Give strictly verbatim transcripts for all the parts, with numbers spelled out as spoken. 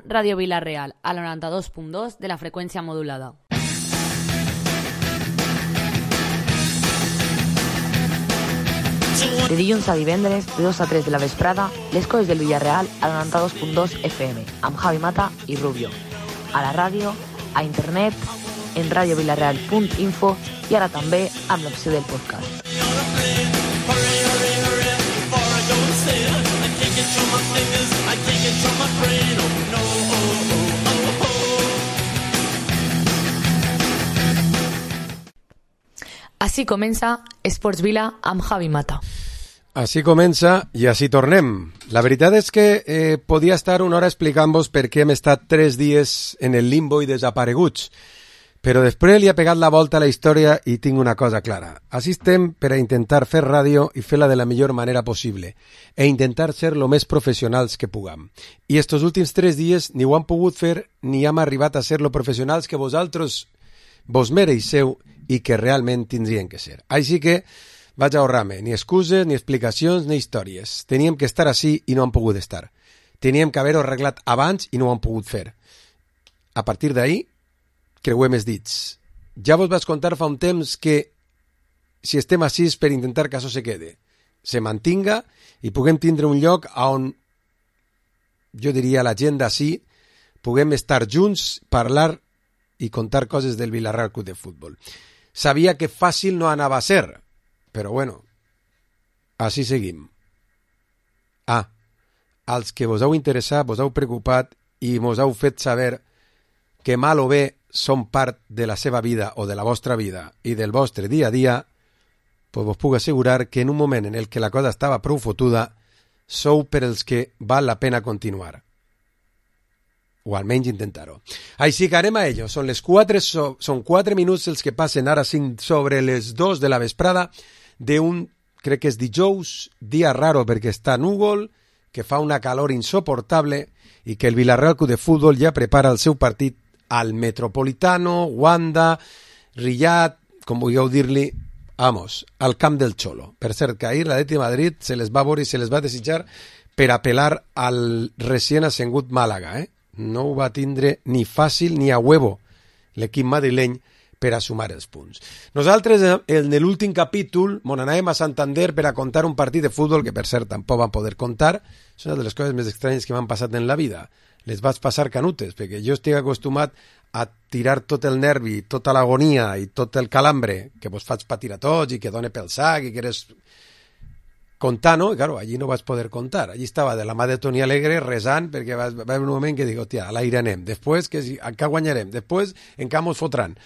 Ràdio Vila-real, a la noranta-dos punt dos de la freqüència modulada. De dilluns a divendres, de dos a tres de la vesprada, les coses del Villarreal a la noranta-dos punt dos F M, amb Javi Mata i Rubio. A la ràdio, a internet, en radiovilareal punt info i ara també amb l'opció del podcast. Així comença Esports Vila amb Javi Mata. Així comença i així tornem. La veritat és que eh, podia estar una hora explicant-vos per què hem estat tres dies en el limbo i desapareguts, però després li ha pegat la volta a la història i tinc una cosa clara. Així estem per a intentar fer ràdio i fer-la de la millor manera possible e intentar ser lo més professionals que puguem. I estos últims tres dies ni ho han pogut fer ni hem arribat a ser lo professionals que vosaltres vos mereixeu i que realment tindrien que ser. Així que vaig ahorrar-me ni excuses, ni explicacions, ni històries. Teníem que estar així i no han pogut estar. Teníem que haver-ho arreglat abans i no ho han pogut fer. A partir d'ahir, creuem els dits. Ja vos vaig contar fa un temps que si estem així per intentar que això se quede, se mantinga i puguem tindre un lloc on, jo diria, la gent d'ací puguem estar junts, parlar i contar coses del Villarreal Club de Futbol. Sabia que fàcil no anava a ser, però bueno, així seguim. Ah, als que vos heu interessat, vos heu preocupat i mos heu fet saber que mal o bé són part de la seva vida o de la vostra vida i del vostre dia a dia, pues vos puc assegurar que en un moment en el que la cosa estava prou fotuda, sou per els que val la pena continuar. O almenys intentar-ho. Així que anem a ello. Són les quatre, so, són quatre minuts els que passen ara cinc sobre les dos de la vesprada d'un, crec que és dijous, dia raro perquè està núvol, que fa una calor insoportable i que el Villarreal Club de Futbol ja prepara el seu partit al Metropolitano, Wanda, Riyadh, com vulgueu dir-li, vamos, al camp del Cholo. Per cert, que ahir l'Atlètic de Madrid se les va veure i se les va desitjar per apel·lar al recient ascengut Màlaga, eh? No ho va tindre ni fàcil ni a huevo l'equip madrileny per a sumar els punts. Nosaltres, en l'últim capítol, mon anàvem a Santander per a contar un partit de futbol que, per cert, tampoc van poder contar. És una de les coses més estranyes que m'han passat en la vida. Les vaig passar canutes, perquè jo estic acostumat a tirar tot el nervi, tota l'agonia i tot el calambre que vos faig patir a tots i que done pel sac i que eres contar, no? I, claro, allí no vas poder contar. Allí estava de la mà de Toni Alegre rezant perquè va, va haver un moment que dic, hòstia, a l'aire anem. Després, que si, encara guanyarem. Després, encara mos fotran.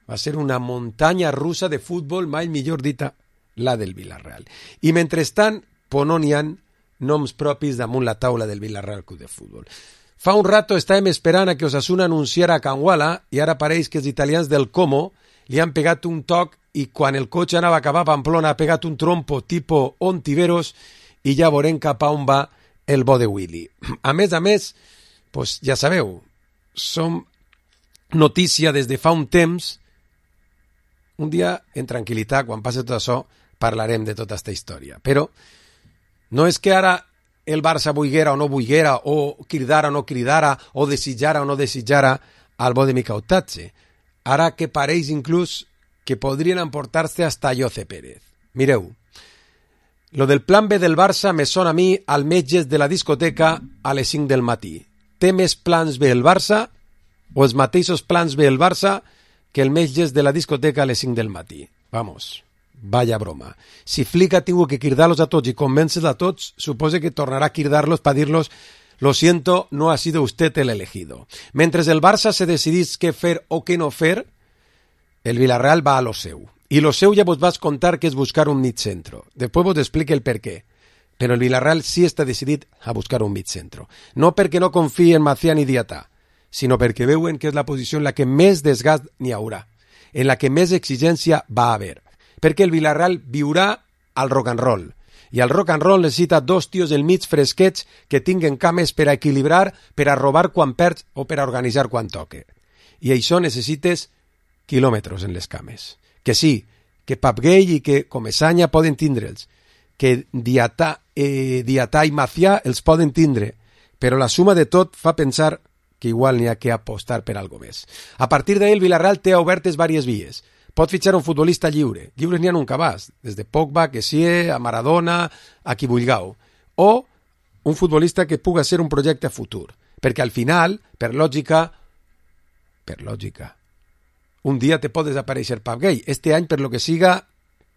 Va ser una muntanya russa de futbol, mai millor dita, la del Villarreal. I mentrestant, pues no n'hi ha noms propis damunt la taula del Villarreal Club de Futbol. Fa un rato estàvem esperant a que Osasuna anunciara a Canguala i ara pareix que els italians del Como li han pegat un toc i quan el cotxe anava a acabar a Pamplona ha pegat un trompo tipo Ontiveros i ja veurem cap a on va el bo de Willy. A més a més, pues ja sabeu, som notícia des de fa un temps. Un dia, en tranquil·litat, quan passi tot això, parlarem de tota aquesta història. Però no és que ara el Barça vulguera o no vulguera, o cridara o no cridara, o desitjara o no desitjara al bo de Micautatge. Ara que pareix inclús que podrien emportar-se hasta Jose Pérez. Mireu, lo del plan B del Barça me sona a mi al metges de la discoteca a les cinc del matí. Té més plans B el Barça o els mateixos plans B el Barça que el metges de la discoteca a les cinc del matí? Vamos, vaya broma. Si Flick ha tingut que cridar-los a tots i convèncer a tots, supose que tornarà a cridar-los per dir-los lo siento, no ha sido usted el elegido. Mentre el Barça se decidís què fer o què no fer, el Villarreal va a lo seu. I lo seu ja vos vaig contar que és buscar un mig centro. Després vos explique el per què. Però el Villarreal sí està decidit a buscar un mig centro. No perquè no confie en Macià ni Diatà, sinó perquè veuen que és la posició en la que més desgast n'hi haurà, en la que més exigència va haver. Perquè el Villarreal viurà al rock and roll. I el rock and roll necessita dos tios del mig fresquets que tinguen cames per a equilibrar, per a robar quan perds o per a organitzar quan toque. I això necessites quilòmetres en les cames. Que sí, que Papgay i que Comesaña poden tindre'ls, que Diatà, eh, Diatà i Macià els poden tindre, però la suma de tot fa pensar que igual n'hi ha que apostar per algo més. A partir d'ahir el Villarreal té obertes diverses vies. Pot fitxar un futbolista lliure. Lliures n'hi ha un cabàs, des de Pogba, Kessie, a Maradona, a qui vulgueu. O un futbolista que puga ser un projecte futur. Perquè al final, per lògica, per lògica, un dia te pot desaparèixer Pap Gay. Este any, per lo que siga,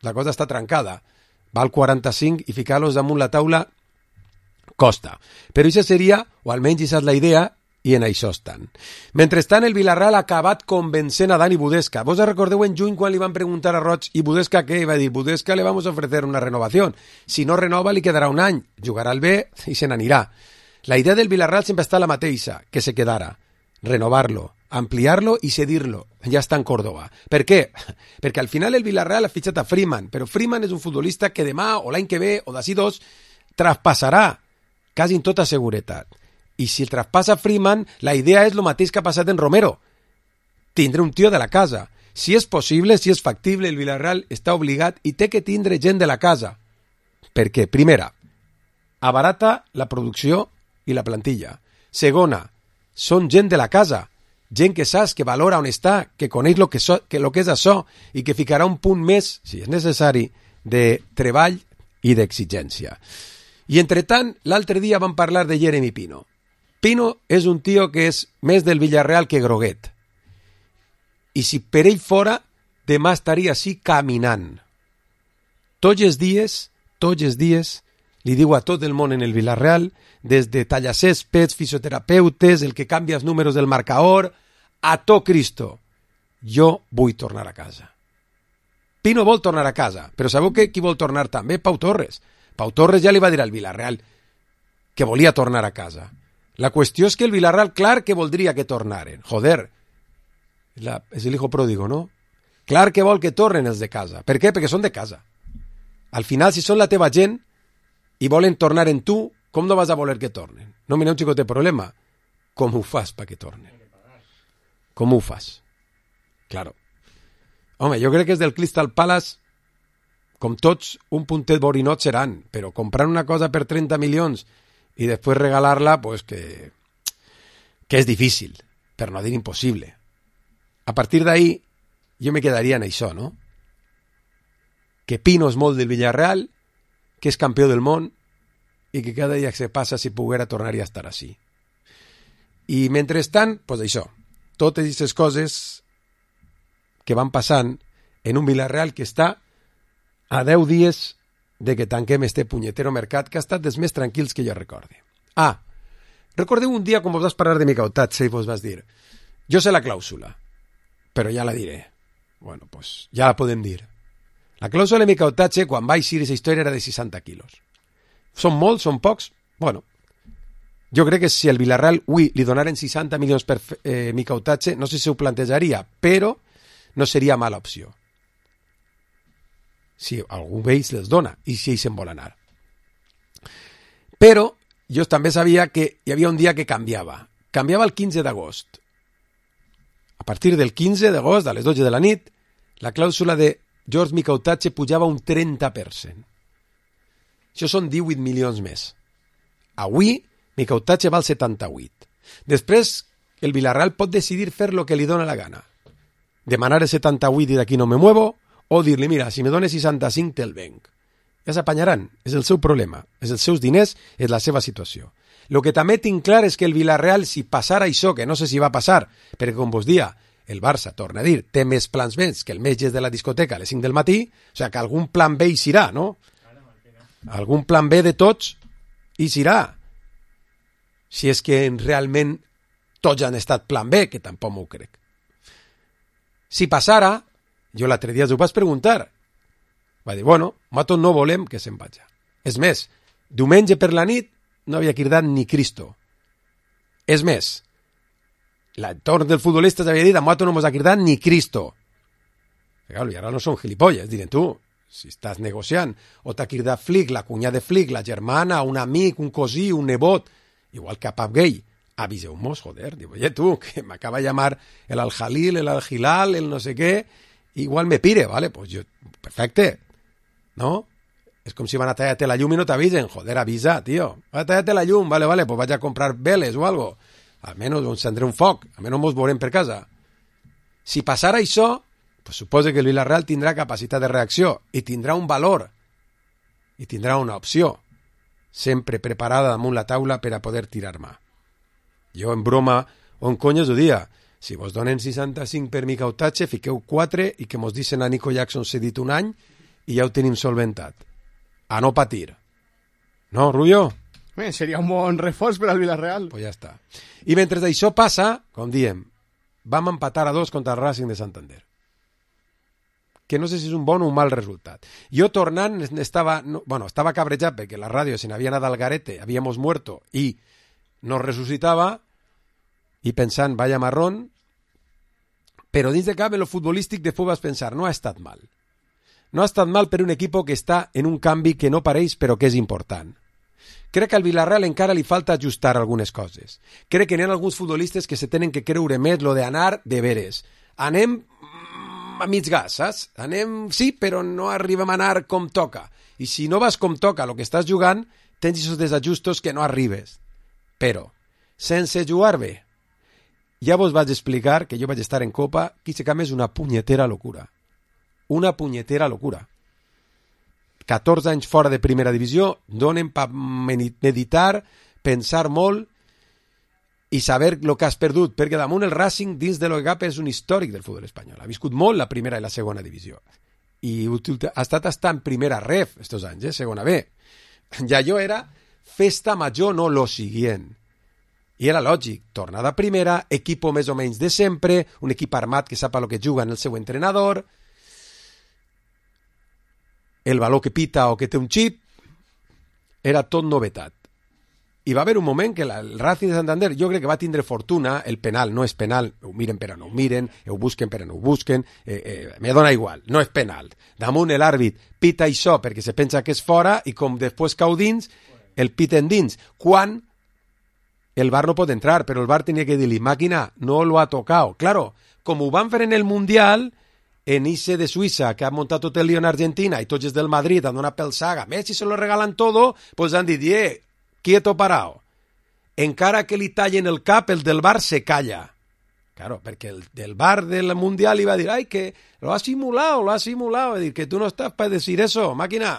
la cosa està trencada. Val quaranta-cinc i ficar-los damunt la taula costa. Però això seria, o almenys això és la idea, i en això estan. Mentrestant, el Villarreal ha acabat convencent a Dani Budesca. Vos recordeu en juny quan li van preguntar a Roig i Budesca què? I va dir, Budesca le vamos a ofrecer una renovación. Si no renova, li quedarà un any. Jugarà al B i se n'anirà. La idea del Villarreal sempre està la mateixa, que se quedara. Renovar-lo, ampliar-lo i cedir-lo. Ja està en Córdoba. Per què? Perquè al final el Villarreal ha fitxat a Freeman, però Freeman és un futbolista que demà o l'any que ve o d'ací dos traspassarà, quasi en tota seguretat. I si el traspassa Freeman, la idea és el mateix que ha passat en Romero. Tindre un tio de la casa. Si és possible, si és factible, el Villarreal està obligat i té que tindre gent de la casa. Per què? Primera, abarata la producció i la plantilla. Segona, són gent de la casa. Gent que saps, que valora on està, que coneix lo que, so, que, lo que és això i que ficarà un punt més, si és necessari, de treball i d'exigència. I entretant, l'altre dia vam parlar de Jeremy Pino. Pino és un tio que és més del Villarreal que groguet. I si per ell fora, demà estaria així caminant. Tots els dies, tots els dies, li diu a tot el món en el Villarreal, des de tallacéspeds, fisioterapeutes, el que canvia els números del marcador, a tot Cristo, jo vull tornar a casa. Pino vol tornar a casa, però sabeu que qui vol tornar també? Pau Torres. Pau Torres ja li va dir al Villarreal que volia tornar a casa. La qüestió és que el Villarreal, clar que voldria que tornaren. Joder, la, és el hijo pródigo, no? Clar que vol que tornen els de casa. Per què? Perquè són de casa. Al final, si són la teva gent i volen tornar en tu, com no vas a voler que tornen? No me n'hi ha un xicot de problema. Com ho fas perquè tornen? Com ho fas? Claro. Home, jo crec que és del Crystal Palace, com tots, un puntet borinot seran, però comprar una cosa per trenta milions i després regalar-la, pues que, que és difícil, per no dir impossible. A partir d'ahí, jo me quedaria en això, no? Que Pino és molt del Villarreal, que és campió del món i que cada dia que se passa, si poguera, tornaria a estar així. I mentrestant, pues això, totes aquestes coses que van passant en un Villarreal que està a deu dies de que tanquem este punyetero mercat que ha estat dels més tranquils que jo recorde. Ah, recordeu un dia quan vos vas parlar de Micautatge i vos vas dir, jo sé la clàusula, però ja la diré. Bueno, pues ja la podem dir. La clàusula de Micautatge, quan va eixir aquesta història, era de seixanta quilos. Són molts, són pocs? Bueno, jo crec que si el Villarreal avui li donaren seixanta milions per eh, Micautatge, no sé si ho plantejaria, però no seria mala opció. Si algú d'ells les dona i si ells se'n vol anar. Però jo també sabia que hi havia un dia que canviava. Canviava el quinze d'agost. A partir del quinze d'agost, a les dotze de la nit, la clàusula de George Micautatge pujava un trenta per cent. Això són divuit milions més. Avui, Micautatge val setanta-vuit. Després, el Villarreal pot decidir fer lo que li dona la gana. Demanar el setanta-vuit i d'aquí no me muevo, o dir-li, mira, si me dones seixanta-cinc te'l venc. Ja s'apanyaran, és el seu problema, és els seus diners, és la seva situació. El que també tinc clar és que el Villarreal, si passara això, que no sé si va passar, perquè com vos dia, el Barça, torna a dir, té més plans més que el metge de la discoteca a les cinc del matí, o sigui que algun plan B hi serà, no? Algun plan B de tots hi serà. Si és que realment tots han estat plan B, que tampoc m'ho crec. Si passara, jo l'altre dia us ho vaig preguntar. Va dir, bueno, nosaltres no volem que se'n vagi. És més, diumenge per la nit no havia cridat ni Cristo. És més, l'entorn del futbolista havia dit, a nosaltres no ens ha cridat ni Cristo. Claro, i ara no són gilipolles, diuen tu, si estàs negociant, o t'ha cridat Flick, la cunyada de Flick, la germana, un amic, un cosí, un nebot, igual que a Pap Gay, aviseu-mos, joder, diu, oye tu, que m'acaba de llamar el Al-Jalil, el Al-Hilal, el no sé què, igual me pire, vale, pues yo, perfecte, ¿no? Es com si van a tallarte la llum y no t'avisen, joder, avisa, tío, va a tallarte la llum, vale, vale, pues vaig a comprar veles o algo, almenys encendré un foc, almenys mos veurem per casa. Si passara això, pues suposa que el Villarreal tindrà capacitat de reacció i tindrà un valor i tindrà una opció sempre preparada damunt la taula per a poder tirar mà. Jo en broma o en conyes ho dia, si vos donen seixanta-cinc per mi cautatge, fiqueu quatre i que mos dicen a Nico Jackson cedit un any i ja ho tenim solventat. A no patir. No, Rubio? Eh, seria un bon reforç per al Villarreal. Pues ja està. I mentre això passa, com diem, vam empatar a dos contra el Racing de Santander. Que no sé si és un bon o un mal resultat. Jo tornant estava, no, bueno, estava cabrejat perquè la ràdio se n'havia anat al garete, habíamos muerto i nos resucitava i pensant, vaya marrón, però dins de cap en lo futbolístic de vas pensar, no ha estat mal. No ha estat mal per un equip que està en un canvi que no pareix però que és important. Crec que al Villarreal encara li falta ajustar algunes coses. Crec que n'hi ha alguns futbolistes que se tenen que creure més lo de anar de veres. Anem a mig gas, saps? Anem, sí, però no arribem a anar com toca. I si no vas com toca el que estàs jugant, tens aquests desajustos que no arribes. Però, sense jugar bé, ja vos vaig explicar que jo vaig estar en Copa, que se és una punyetera locura. Una punyetera locura. catorze anys fora de primera divisió, donen per meditar, pensar molt i saber el que has perdut, perquè damunt el Racing dins de l'O-Gap és un històric del futbol espanyol. Ha viscut molt la primera i la segona divisió. I ha estat hasta en primera ref estos anys, eh? Segona B. Ja allò era festa major, no lo siguient. I era lògic, tornada a primera, equip més o menys de sempre, un equip armat que sap a lo que juga en el seu entrenador, el valor que pita o que té un xip, era tot novetat. I va haver un moment que la, el Racing de Santander, jo crec que va tindre fortuna, el penal no és penal, ho miren per a no ho miren, ho busquen per a no ho busquen, eh, eh, me dona igual, no és penal. Damunt l'àrbit pita això perquè se pensa que és fora i com després cau dins, el piten dins. Quan el V A R no pot entrar, però el V A R tenia que dir-li, màquina, no lo ha tocado. Claro, com ho van fer en el Mundial, en Ice de Suïssa, que ha muntat tot el lío en Argentina, i tots els del Madrid han donat pel saga, Messi se lo regalan todo, pues han dit, eh, quieto parado. Encara que li tallen el cap, el del V A R se calla. Claro, perquè el del V A R del Mundial iba a dir, ay, que lo ha simulado, lo ha simulado, dir que tu no estàs per decir eso, màquina.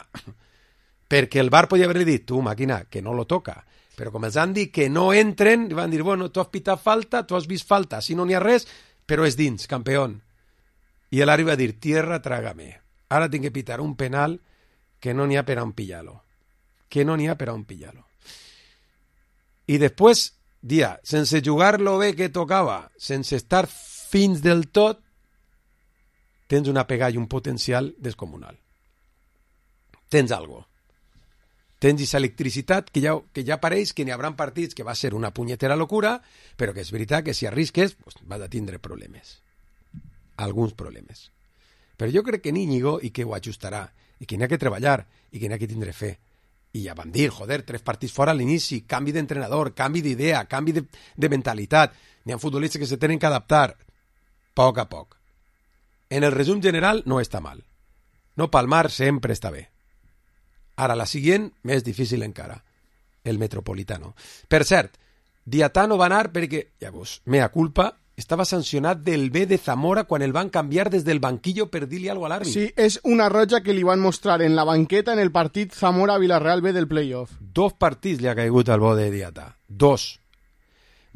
Perquè el V A R podia haver dit, tu, màquina, que no lo toca. Però com els han dit que no entren, van dir, bueno, tu has pitat falta, tu has vist falta, si no n'hi ha res, però és dins, campeón. I l'Ari va dir, tierra, trágame. Ara tinc que pitar un penal que no n'hi ha per a un pillar-lo. Que no n'hi ha per a un pillar-lo. I després, dia, sense jugar-lo bé que tocava, sense estar fins del tot, tens una pegada i un potencial descomunal. Tens algo. Tens aquesta electricitat que ja, que ja pareix que n'hi haurà partits que va ser una punyetera locura, però que és veritat que si arrisques pues, vas a tindre problemes. Alguns problemes. Però jo crec que n'Íñigo i que ho ajustarà, i que n'hi ha que treballar, i que n'hi ha que tindre fe. I ja van dir, joder, tres partits fora a l'inici, canvi d'entrenador, canvi d'idea, canvi de, de mentalitat. N'hi ha futbolistes que se tenen que adaptar. Poc a poc. En el resum general no està mal. No palmar sempre està bé. Ara la següent, més difícil encara. El Metropolitano. Per cert, Diatano va anar perquè, llavors, mea culpa, estava sancionat del B de Zamora quan el van canviar des del banquillo per dir-li alguna cosa a l'àrbit. Sí, és una roja que li van mostrar en la banqueta en el partit Zamora-Villarreal B del playoff. Dos partits li ha caigut al bo de Diatà. Dos.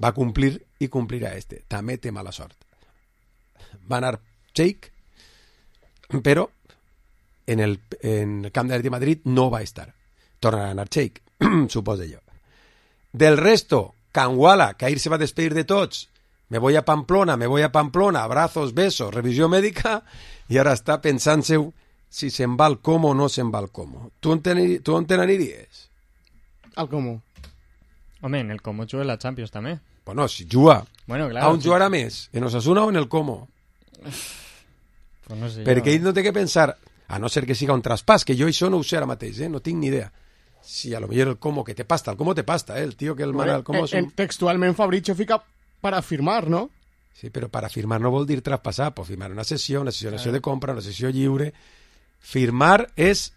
Va complir i complirà este. També té mala sort. Va anar Cheik, però en el, en el camp de Madrid no va estar. Torna a anar Cheik, suposo jo. Del resto, Canguala, que ahir se va despedir de tots, me voy a Pamplona, me voy a Pamplona, abrazos, besos, revisió mèdica, i ara està pensant-se si se'n va al Como o no se'n va al Como. Tu on te, tu on te n'aniries? Al Como. Home, en el Como juga la Champions també. Bueno, si juga. Bueno, claro. A on sí. Jugarà més? En Osasuna o en el Como? Pues no sé Perquè jo. ell no té que pensar, a no ser que siga un traspàs, que jo això no ho sé ara mateix, eh? No tinc ni idea. Si a lo millor el Como que te pasta, el Como te pasta, eh? El tio que el mana, el Como... Eh, eh, textualment Fabrizio fica para firmar, ¿no? Sí, però para firmar no vol dir traspassar, pot firmar una sessió, una sessió, una sessió de compra, una sessió lliure. Firmar és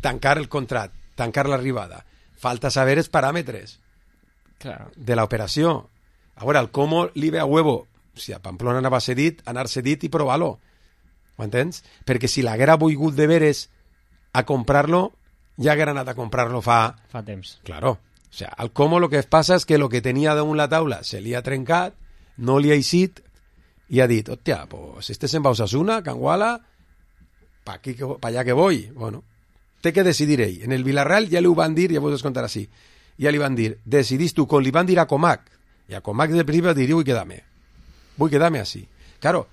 tancar el contrat, tancar l'arribada. Falta saber els paràmetres. Claro. de l'operació. A veure, el Como li ve a huevo, si a Pamplona anava cedit, anar cedit i provar-lo. Ho entens? Perquè si l'haguera volgut de veres a comprar-lo, ja haguera anat a comprar-lo fa... Fa temps. Claro. O sea, al Como lo que passa és que lo que tenia damunt la taula se li ha trencat, no li ha eixit, i ha dit, hòstia, pues este se'n va a Osasuna, Canguala, pa, aquí, pa allà que voy. Bueno, té que decidir ell. En el Villarreal ja li ho van dir, ja vos contar així, ja li van dir, decidís tu, com li van dir a Comac, i a Comac del principi va dir, vull quedar-me, vull quedar-me així. Claro.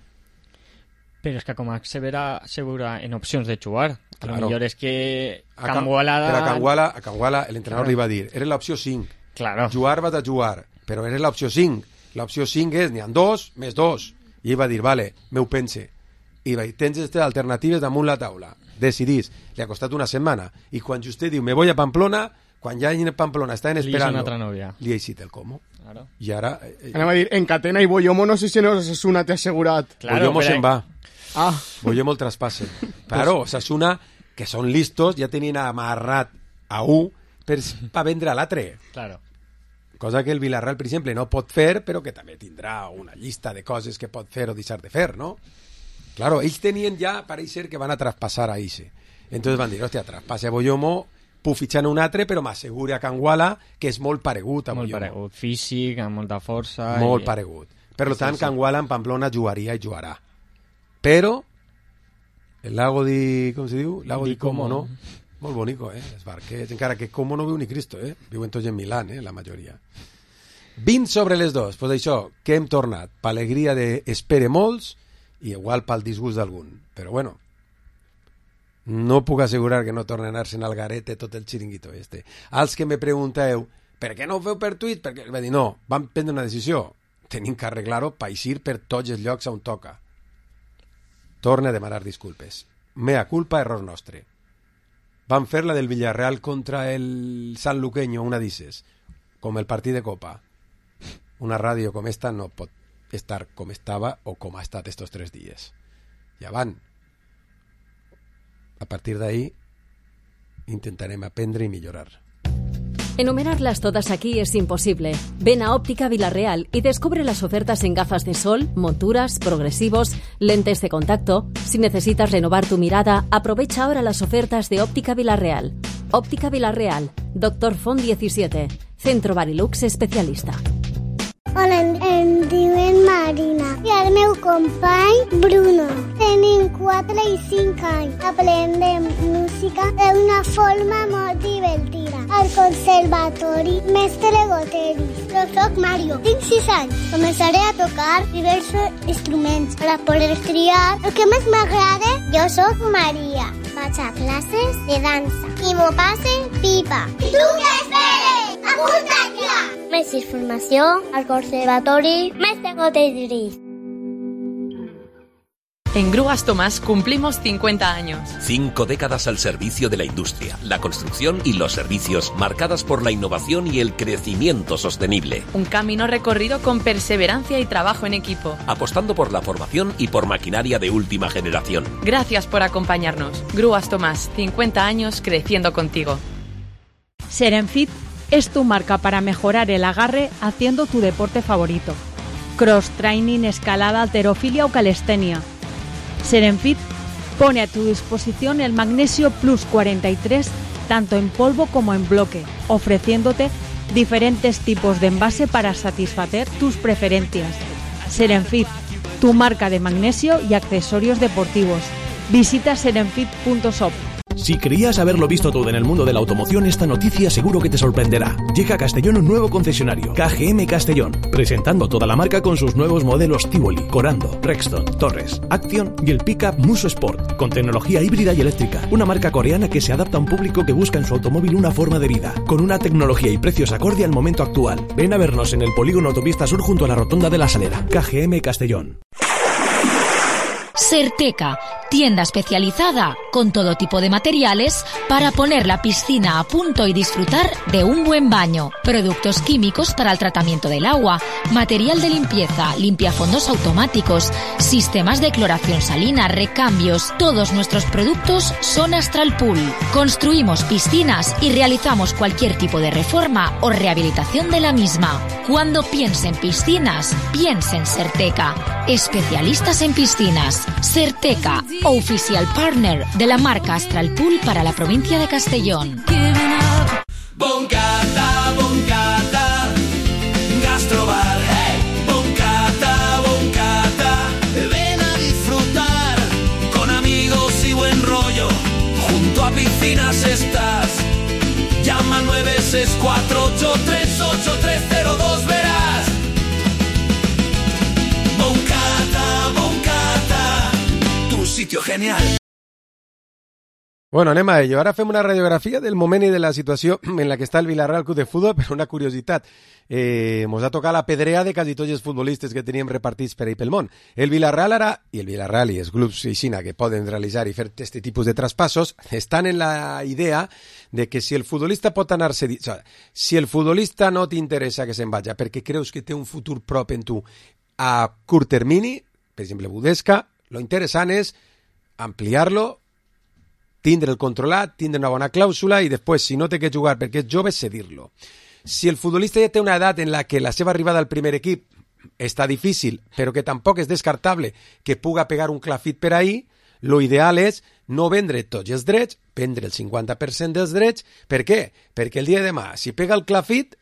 Però és que Comac se verà segura en opcions de jugar. Claro. Lo millor és que A Can- Canguala... Però a Canguala, a Canguala l'entrenador Claro. li va dir, eres l'opció cinc. Claro. Jugar vas a jugar, però eres l'opció cinc. L'opció cinc és, n'hi ha dos, més dos. I ell va dir, vale, me ho pense. I va dir, tens aquestes alternatives damunt la taula. Decidís. Li ha costat una setmana. I quan vostè diu, me voy a Pamplona, quan ja en Pamplona estan Li és esperant, una altra nòvia. li ha eixit el Como. Claro. I ara... Eh, Anem a dir, en Catena i Boyomo no sé si no Osasuna t'ha assegurat. Claro, Boyomo però- se'n va. Ah, Boyomo el traspasse. Claro, Osasuna, que són listos, ja tenien amarrat a un per, per vendre a l'altre. Claro. Cosa que el Villarreal, per exemple, no pot fer, però que també tindrà una llista de coses que pot fer o deixar de fer, no? Claro, ells tenien ja, pareix ser que van a traspassar a Ixe. Entonces van dir, hòstia, traspasse a Boyomo, puc fitxar un altre, però m'assegure a Canguala que és molt paregut a Molt Boyomo. paregut. Físic, amb molta força... Molt i... paregut. Per tant, Sí, sí. Canguala en Pamplona jugaria i jugarà. Però el lago di... com se diu? Lago di, Di Como, Como. no? Molt bonico, eh? Els barquets. Encara que Como no viu ni Cristo, eh? Viuen tots en Milán, eh? La majoria. vint sobre les dos. Pues això, que hem tornat. Per alegria d'espere molts i igual pel disgust d'algun. Però bueno, no puc assegurar que no tornen a anar-se'n al garete tot el xiringuito este. Als que me pregunteu, per què no ho feu per tuit? Perquè va dir, no, vam prendre una decisió. Tenim que arreglar-ho per eixir per tots els llocs on toca. Torne a demanar disculpes. Mea culpa, error nostre. Van fer la del Villarreal contra el San Luqueño, una dices, com el partit de Copa. Una ràdio com esta no pot estar com estava o com ha estat estos tres dies. Ja van. A partir d'ahí intentarem aprendre i millorar. Enumerarlas todas aquí es imposible. Ven a Óptica Villarreal y descubre las ofertas en gafas de sol, monturas, progresivos, lentes de contacto. Si necesitas renovar tu mirada, aprovecha ahora las ofertas de Óptica Villarreal. Óptica Villarreal, Doctor Font diecisiete, Centro Barilux Especialista. Hola, em, em diuen Marina i el meu company Bruno. Tenim quatre i cinc anys. Aprendem música d'una forma molt divertida. Al conservatori Mestre Goteris. Jo soc Mario, tinc sis anys. Començaré a tocar diversos instruments per a poder triar el que més m'agrada. Jo soc Maria. Vaig a classes de dansa i m'ho passe pipa. I tu què esperes? Apunta't ja! Més informació al Conservatori Mestre Goteris. En Grúas Tomás cumplimos cincuenta años. Cinco décadas al servicio de la industria, la construcción y los servicios, marcadas por la innovación y el crecimiento sostenible. Un camino recorrido con perseverancia y trabajo en equipo. Apostando por la formación y por maquinaria de última generación. Gracias por acompañarnos. Grúas Tomás, cincuenta años creciendo contigo. Serenfit es tu marca para mejorar el agarre haciendo tu deporte favorito. Cross training, escalada, halterofilia o calistenia. Serenfit pone a tu disposición el Magnesio Plus cuarenta y tres tanto en polvo como en bloque, ofreciéndote diferentes tipos de envase para satisfacer tus preferencias. Serenfit, tu marca de magnesio y accesorios deportivos. Visita serenfit punto shop. Si creías haberlo visto todo en el mundo de la automoción, esta noticia seguro que te sorprenderá. Llega a Castellón un nuevo concesionario, K G M Castellón, presentando toda la marca con sus nuevos modelos Tivoli, Corando, Rexton, Torres, Action y el pickup Muso Sport, con tecnología híbrida y eléctrica. Una marca coreana que se adapta a un público que busca en su automóvil una forma de vida, con una tecnología y precios acorde al momento actual. Ven a vernos en el polígono Autopista Sur junto a la Rotonda de la Salera. K G M Castellón. Certeca, tienda especializada con todo tipo de materiales para poner la piscina a punto y disfrutar de un buen baño. Productos químicos para el tratamiento del agua, material de limpieza, limpiafondos automáticos, sistemas de cloración salina, recambios. Todos nuestros productos son Astral Pool. Construimos piscinas y realizamos cualquier tipo de reforma o rehabilitación de la misma. Cuando piense en piscinas, piense en Serteca. Especialistas en piscinas. Serteca, oficial partner de la marca Astral Pool para la provincia de Castellón. Boncata, boncata, gastrobar, hey. Boncata, boncata, ven a disfrutar con amigos y buen rollo. Junto a piscinas estás. Llama nueve seis cuatro ocho tres ocho tres cero dos, verás. Boncata, boncata, tu sitio genial. Bueno, anem a ello. Ara fem una radiografia del moment i de la situació en la que està el Villarreal Club de Futbol, però una curiositat. Eh, mos ha tocat la pedrea de quasi tots els futbolistes que teníem repartits per ahí pel món. El Villarreal ara, i el Villarreal i els grups aixina que poden realitzar i fer aquest tipus de traspassos, estan en la idea de que si el futbolista pot anar-se... O sigui, si el futbolista no t'interessa que se'n vagi perquè creus que té un futur prop en tu a curt termini, per exemple, Budesca, lo interessant és ampliar-lo, tindre el controlat, tindre una bona clàusula i després, si no té que jugar perquè és jove, cedir-lo. Si el futbolista ja té una edat en la que la seva arribada al primer equip està difícil, però que tampoc és descartable que puga pegar un clafit per ahí, lo ideal és no vendre tots els drets, vendre el cinquanta per cent dels drets. Per què? Perquè el dia de demà, si pega el clafit,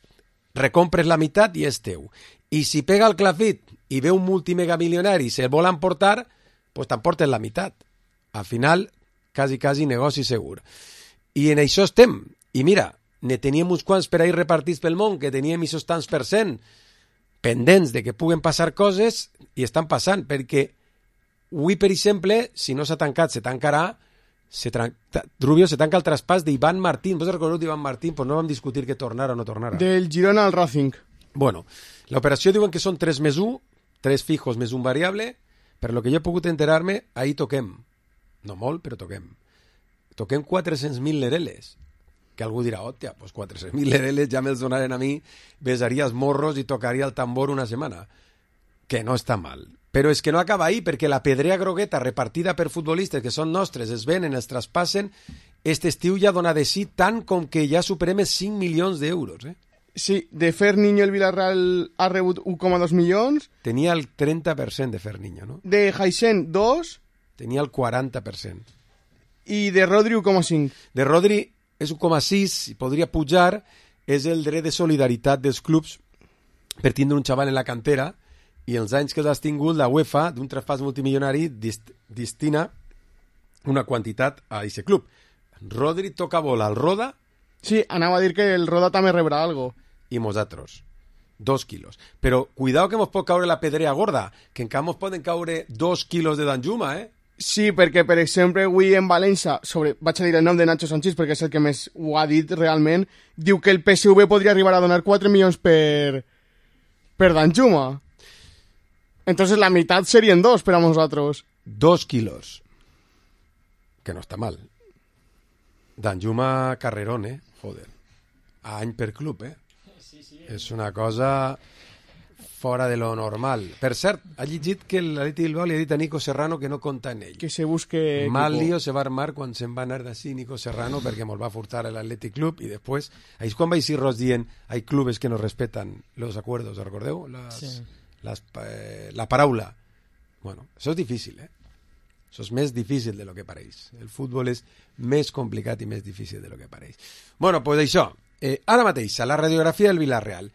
recompres la meitat i és teu. I si pega el clafit i ve un multimegamilionari i se'l vol emportar, pues t'emportes la meitat. Al final, quasi, quasi negoci segur. I en això estem. I mira, ne teníem uns quants per ahir repartits pel món, que teníem aquests tants per cent pendents de que puguen passar coses, i estan passant, perquè avui, per exemple, si no s'ha tancat, se tancarà, se tran... Rubio, se tanca el traspàs d'Ivan Martín. Vos recordeu d'Ivan Martín? Pues no vam discutir que tornara o no tornara. Del Girona al Racing. Bueno, l'operació diuen que són tres més un, tres fijos més un variable, per lo que jo he pogut enterar-me, ahí toquem. No molt, però toquem. Toquem quatre-cents mil lereles. Que algú dirà, hòstia, pues quatre-cents mil lereles ja me'ls donaren a mi, besaria els morros i tocaria el tambor una setmana. Que no està mal. Però és que no acaba ahí, perquè la pedrea grogueta repartida per futbolistes que són nostres, es venen, els traspassen, este estiu ja dona de sí tant com que ja superem els cinc milions d'euros, eh? Sí, de Ferniño el Villarreal ha rebut un coma dos milions. Tenia el trenta per cent de Ferniño, no? De Jaisen, dos. Tenia el quaranta per cent. I de Rodri, un coma cinc. De Rodri és un coma sis, i podria pujar, és el dret de solidaritat dels clubs per tindre un xaval en la cantera, i els anys que l'has tingut, la UEFA, d'un traspàs multimilionari, dist destina una quantitat a aquest club. Rodri toca bola al Roda. Sí, anava a dir que el Roda també rebrà algo. I nosaltres. Dos quilos. Però cuidado que mos pot caure la pedrea gorda, que encara mos poden caure dos quilos de Danjuma, eh? Sí, perquè, per exemple, avui en València, sobre, vaig a dir el nom de Nacho Sanchís perquè és el que més ho ha dit realment, diu que el P S V podria arribar a donar quatre milions per, per Danjuma. Entonces la meitat serien dos per a nosaltres. Dos quilos. Que no està mal. Danjuma carrerón, eh? Joder. A any per club, eh? Sí, sí. És una cosa fora de lo normal. Per cert, ha llegit que l'Atleti Bilbao li ha dit a Nico Serrano que no compta en ell. Que se busque... Mal lío se va armar quan se'n va anar d'ací Nico Serrano perquè mos va furtar l'Atlètic Club i després, ahí és quan va eixir Ros dient hay clubes que no respetan los acuerdos, recordeu? Las, sí. las, eh, la paraula. Bueno, això és difícil, eh? Això és més difícil de lo que pareix. El futbol és més complicat i més difícil de lo que pareix. Bueno, pues això. Eh, ara mateix, a la radiografia del Villarreal.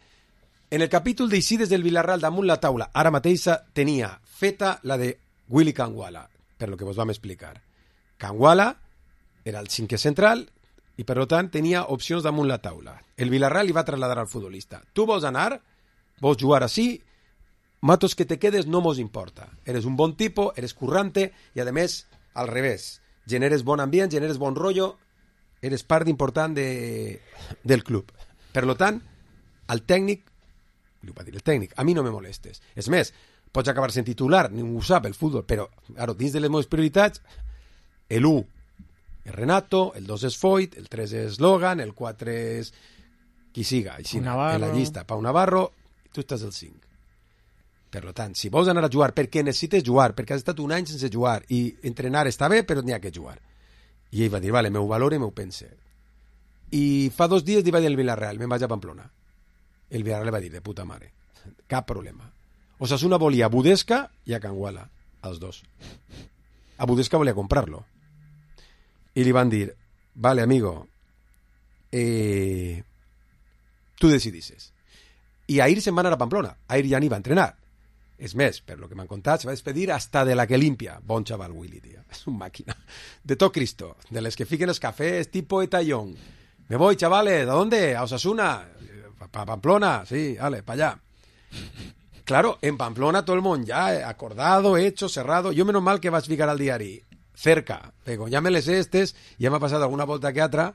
En el capítol d'eixides del Villarreal damunt la taula, ara mateixa tenia feta la de Willy Canguala, per lo que vos vam explicar. Canguala era el cinquè central i, per tant, tenia opcions damunt la taula. El Villarreal li va trasladar al futbolista. Tu vols anar? Vols jugar així? Matos que te quedes no mos importa. Eres un bon tipo, eres currante i, a més, al revés. Generes bon ambient, generes bon rollo, eres part important de, del club. Per tant, el tècnic, li va dir el tècnic, a mi no me molestes. És més, pots acabar sent titular, ningú ho sap, el futbol, però, claro, dins de les meves prioritats, El u és Renato, el dos és Foyt, el tres és Logan, el quatre és qui siga, així, en la llista, Pau Navarro, i tu estàs al cinc. Per tant, si vols anar a jugar perquè necessites jugar, perquè has estat un any sense jugar i entrenar està bé, però n'hi ha que jugar. I ell va dir, vale, m'ho valore, m'ho pense. I fa dos dies li va dir al Villarreal, me'n vaig a Pamplona. El Villarreal va dir, de puta mare, cap problema. Osasuna volia a Budesca i a Canguala, als dos. A Budesca volia comprar-lo. I li van dir, vale, amigo, eh, tu decidisses. I Ahir se'n va anar a Pamplona. Ahir ja ni va entrenar. És més, per lo que m'han contat, se va despedir hasta de la que limpia. Bon xaval, Willy, tío. És un màquina. De tot Cristo. De les que fiquen els cafés tipo Etallón. Me voy, chavales. ¿A dónde? A Osasuna. Pa Pamplona. Sí, vale, pa allá. Claro, en Pamplona todo el mundo ya acordado, hecho, cerrado. Yo menos mal que vas ficar al diari cerca. Digo, ya me les estes, ya me ha pasado alguna volta que otra.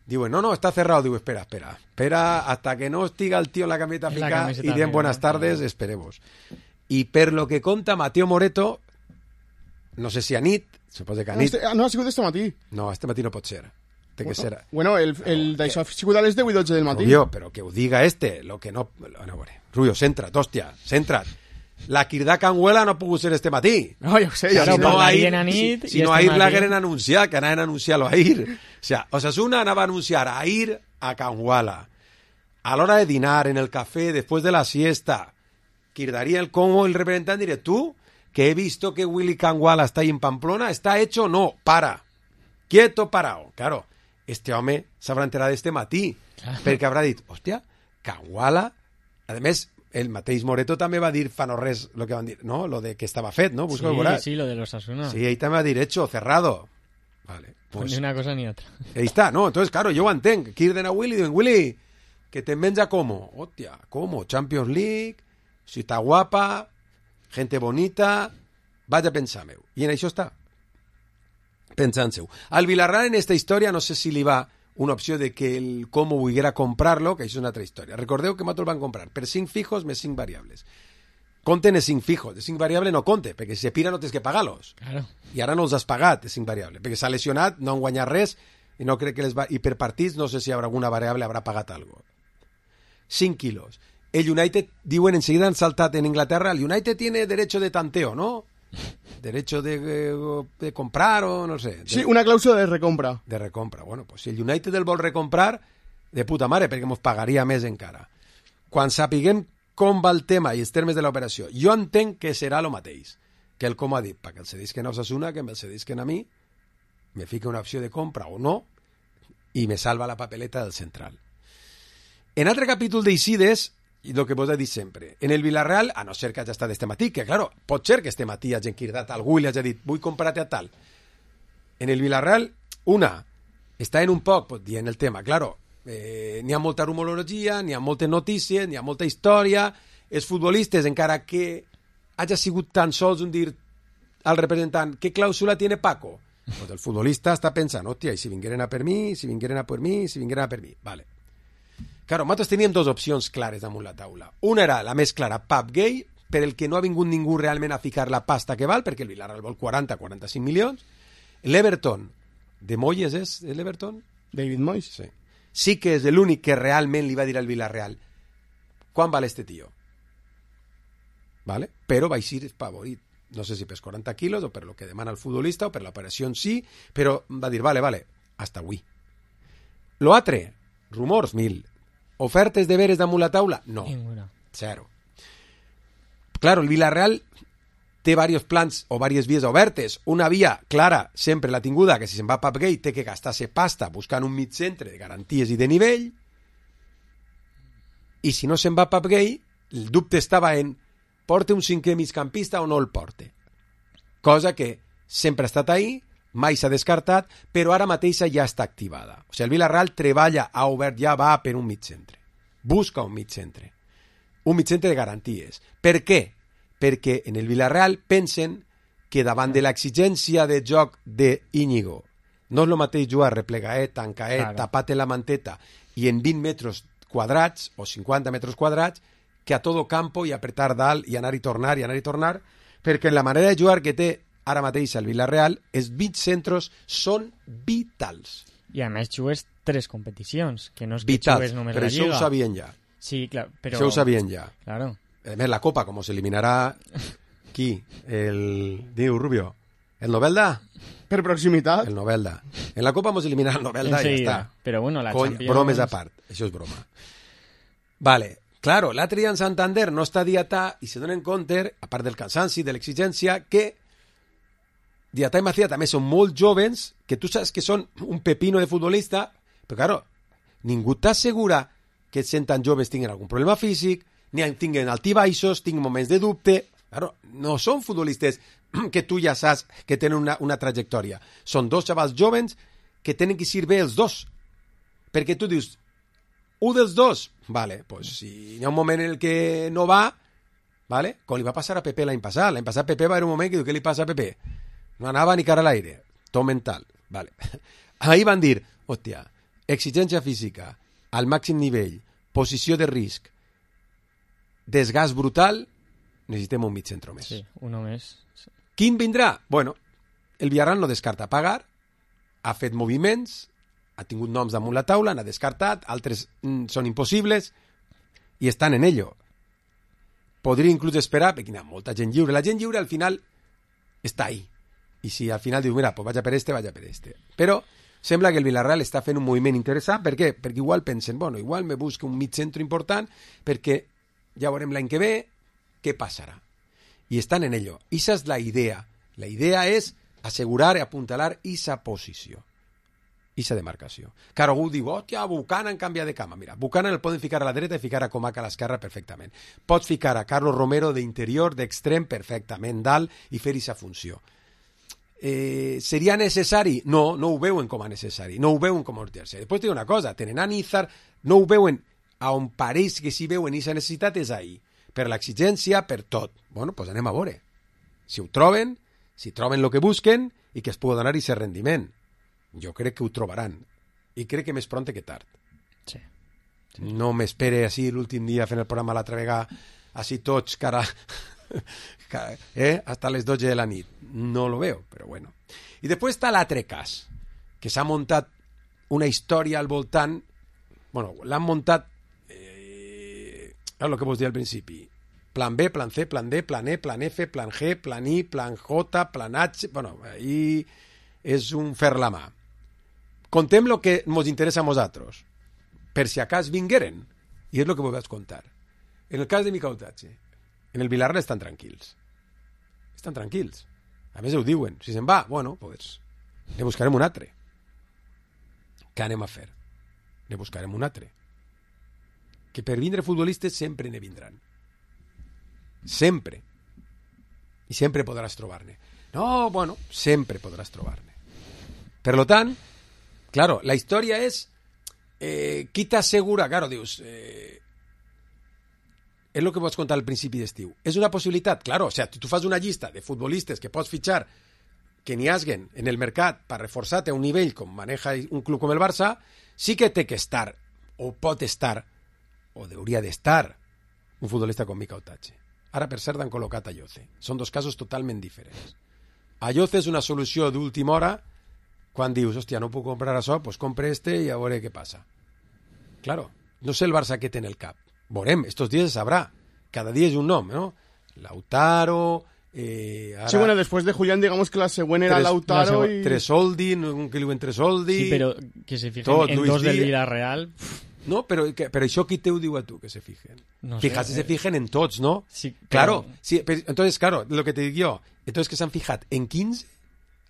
Digo, no, no, está cerrado. Digo, espera, espera. Espera hasta que no estiga el tío en la camiseta pica y den buenas tardes, esperemos. Y per lo que conta Mateo Moreto, no sé si a nit, suposo que a nit... Este, no, ha sigut este matí. No, este matí no pot ser. Té que bueno, ser... Bueno, el, el d'això ha sigut a les deu i dotze del matí. Rubio, però que ho diga este, lo que no... No, bueno, Rubio, centra't, hòstia, centra't. La Quirdà Canguela no ha pogut ser este matí. No, jo sé, ja si no, ahir, nit, si, si no ahir l'hagueren anunciat, que anaven a anunciar-lo ahir. O sea, Osasuna anava a anunciar a ir a Canguala. A l'hora de dinar, en el café, después de la siesta, Quirdaría el como el representante diré, tú, que he visto que Willy Canguala está ahí en Pamplona, ¿está hecho? No, para. Quieto, parado. Claro, este home s'haurà enterat este matí, claro. Perquè haurà dit, hòstia, Canguala, a més, el mateix Moreto també va dir fa no res lo que van dir, no? Lo de que estava fet, no? Busca sí, sí, lo de los Osasuna. Sí, ell també va dir hecho, cerrado. Vale. Pues, ni una cosa ni otra. Ahí está, ¿no? Entonces, claro, yo ho entenc. Quirden a Willy, diuen, Willy, que te menja como. Hostia, ¿cómo? Champions League, ciutat guapa, gente bonita, vaig a pensar meu. I en això està. Pensant seu. Al Villarreal en esta història no sé si li va una opció de que el Como volguera comprar-lo, que això és una altra història. Recordeu que nosaltres el van comprar per cinc fijos més cinc variables. Compten els cinc fijos, de cinc variables no compte, perquè si se pira no tens que pagar-los. Claro. I ara no els has pagat, de cinc variables, perquè s'ha lesionat, no han guanyat res, i no crec que les va... I per partits no sé si hi haurà alguna variable, haurà pagat algo. cinc quilos. El United, diuen, enseguida han saltat en Inglaterra, el United tiene derecho de tanteo, ¿no? Derecho de, de comprar o no sé. De, sí, una clàusula de recompra. De recompra. Bueno, pues si el United el vol recomprar, de puta mare, perquè mos pagaria més encara. Quan sapiguem com va el tema i els termes de l'operació, jo entenc que serà el mateix, que el com ha dit, perquè el cedisquen a Osasuna, que me'l cedisquen a mi, me fica una opció de compra o no, i me salva la papeleta del central. En altre capítol d'Eixides, i el que vos he dit sempre, en el Villarreal, a no ser que hagi estat este matí, que claro, pot ser que este matí hagi enquirdat algú i li hagi dit, vull comprar-te a tal. En el Villarreal, una, està en un poc, pues, dient el tema, claro, eh, n'hi ha molta rumorologia, n'hi ha moltes notícies, n'hi ha molta història, els futbolistes, encara que hagi sigut tan sols un dir al representant, què clàusula tiene Paco? Pues el futbolista està pensant, hòstia, i si vingueren a per mi, si vingueren a per mi, si vingueren a per mi, vale. Claro, nosaltres teníem dues opcions clares damunt la taula. Una era la més clara, Pap Gay, per el que no ha vingut ningú realment a ficar la pasta que val, perquè el Villarreal vol quaranta a quaranta-cinc milions. L'Everton, de Moyes és l'Everton? David Moyes. Sí. Sí que és l'únic que realment li va dir al Villarreal, quan val este tío? Vale? Però va ser favorit. No sé si per quaranta quilos o per lo que demana el futbolista o per l'operació en si, però va dir, vale, vale, hasta avui. Lo altre, rumors, mil. Ofertes de veres damunt la taula? No. Ninguna. Zero. Claro, el Villarreal té diversos plans o diverses vies obertes. Una via clara, sempre l'ha tinguda, que si se'n va a Pap Gay té que gastar-se pasta buscant un mig centre de garanties i de nivell. I si no se'n va a Pap Gay, el dubte estava en porte un cinquè migcampista o no el porte. Cosa que sempre ha estat ahí, mai s'ha descartat, però ara mateixa ja està activada. O sigui, el Villarreal treballa, ha obert, ja va per un mig centre. Busca un mig centre. Un mig centre de garanties. Per què? Perquè en el Villarreal pensen que davant de l'exigència de joc d'Íñigo no és el mateix jugar replegaet, tancaet, claro. Tapat en la manteta i en vint metres quadrats o cinquanta metres quadrats que a todo campo i apretar dalt i anar i tornar i anar i tornar, perquè la manera de jugar que té ara mateix al Villarreal, els vint centros són vitals. I a més jugues tres competicions, que no és que Vitals, jugues només però la això Lliga. ho sabien ja. Sí, clar, però... Això ho sabien ja. Claro. A més, la Copa, com se eliminarà... Qui? El... Diu, Rubio. El Novelda? Per proximitat. El Novelda. En la Copa mos eliminarà el Novelda i ja està. Però bueno, la Cony, Champions... bromes a part. Això és broma. Vale. Claro, l'altre dia en Santander no està Diatà i se donen compte, a part del cansanci, de l'exigència, que Diatà i Macía també són molt jovens, que tu saps que són un pepino de futbolista, però claro, ningú t'assegura que sent tan joves tinguin algun problema físic, ni tinguin altibaixos, tinguin moments de dubte. Claro, no són futbolistes que tu ja saps que tenen una, una trajectòria. Són dos xavals jovens que tenen que ser bé els dos. Perquè tu dius, un dels dos, vale, pues si hi ha un moment en el que no va, vale, com li va passar a Pepe l'any passat. L'any passat Pepe va haver un moment que diu, què li passa a Pepe? No anava ni cara a l'aire, tot mental. Vale. Ahí van dir, hòstia, exigència física, al màxim nivell, posició de risc, desgast brutal, necessitem un mig centre més. Sí, uno més. Sí. Quin vindrà? Bueno, el Villarreal no descarta pagar, ha fet moviments, ha tingut noms damunt la taula, n'ha descartat, altres mm, són impossibles, i estan en ello. Podria inclús esperar, perquè hi ha molta gent lliure. La gent lliure al final està ahí. I si al final diu, mira, pues vaja per este, vaja per este. Però sembla que el Villarreal està fent un moviment interessant. Per què? Perquè igual pensen, bueno, igual me busca un mig centre important, perquè ja veurem l'any que ve què passarà. I estan en ello. Esa és la idea. La idea és assegurar i apuntalar esa posició. Esa demarcació. Claro, algú diu, hòstia, Buchanan canvia de cama. Mira, Buchanan el poden ficar a la dreta i ficar a Comac a l'esquerra perfectament. Pots ficar a Carlos Romero d'interior, d'extrem, perfectament, dalt, i fer aquesta funció. Eh, seria necessari? No, no ho veuen com a necessari. No ho veuen com a urgència. Després te dic una cosa, tenen a Nízar, no ho veuen a on pareix que si veuen aquesta necessitat és ahí. Per l'exigència, per tot. Bueno, doncs anem a veure. Si ho troben, si troben el que busquen i que es pugui donar aquest rendiment. Jo crec que ho trobaran. I crec que més pront que tard. Sí. sí. No m'espere així l'últim dia fent el programa l'altra vegada, així tots, cara... eh? hasta les dotze de la nit. No lo veo, però bueno. I després està l'altre cas, que s'ha muntat una història al voltant... Bueno, l'han muntat... Eh, és el que vos dir al principi. Plan B, plan C, plan D, plan E, plan F, plan G, plan I, plan J, plan H... Bueno, ahí és un fer la mà. Contem el que ens interessa a nosaltres, per si acas vingueren, i és el que vos vaig contar. En el cas de Mica Otache, en el Villarreal estan tranquils. Estan tranquils. A més ho diuen. Si se'n va, bueno, pues ne buscarem un altre. Què anem a fer? Ne buscarem un altre. Que per vindre futbolistes sempre ne vindran. Sempre. I sempre podràs trobar-ne. No, bueno, sempre podràs trobar-ne. Per lo tant, claro, la història és eh, qui t'assegura, claro, dius... Eh, és el que pots contar al principi d'estiu. És una possibilitat, claro, o sea, tu fas una llista de futbolistes que pots fitxar que n'hi haguen en el mercat per reforçar-te a un nivell com maneja un club com el Barça, sí que té que estar, o pot estar, o hauria d'estar, un futbolista com Mica Otache. Ara, per cert, han col·locat a Yoce. Són dos casos totalment diferents. A Yoce és una solució d'última hora quan dius, hòstia, no puc comprar això, doncs compre este i a veure què passa. Claro, no sé el Barça què té en el cap. Veurem, estos días se sabrá. Cada día es un nombre, ¿no? Lautaro... Eh, ara... Sí, bueno, después de Julián, digamos que la segunda era tres, Lautaro la y... Tresoldi, no, que li diuen Tresoldi... Sí, però que se fijen tot, en Luis dos del Díaz. Villarreal... No, però, que, però això qui te ho diu a tu, que se fijen? No Fíjate, sé, se fijen en tots, ¿no? Sí, però... Claro, sí, pero, entonces, claro, lo que te digo yo, entonces que s'han fijat en quinze,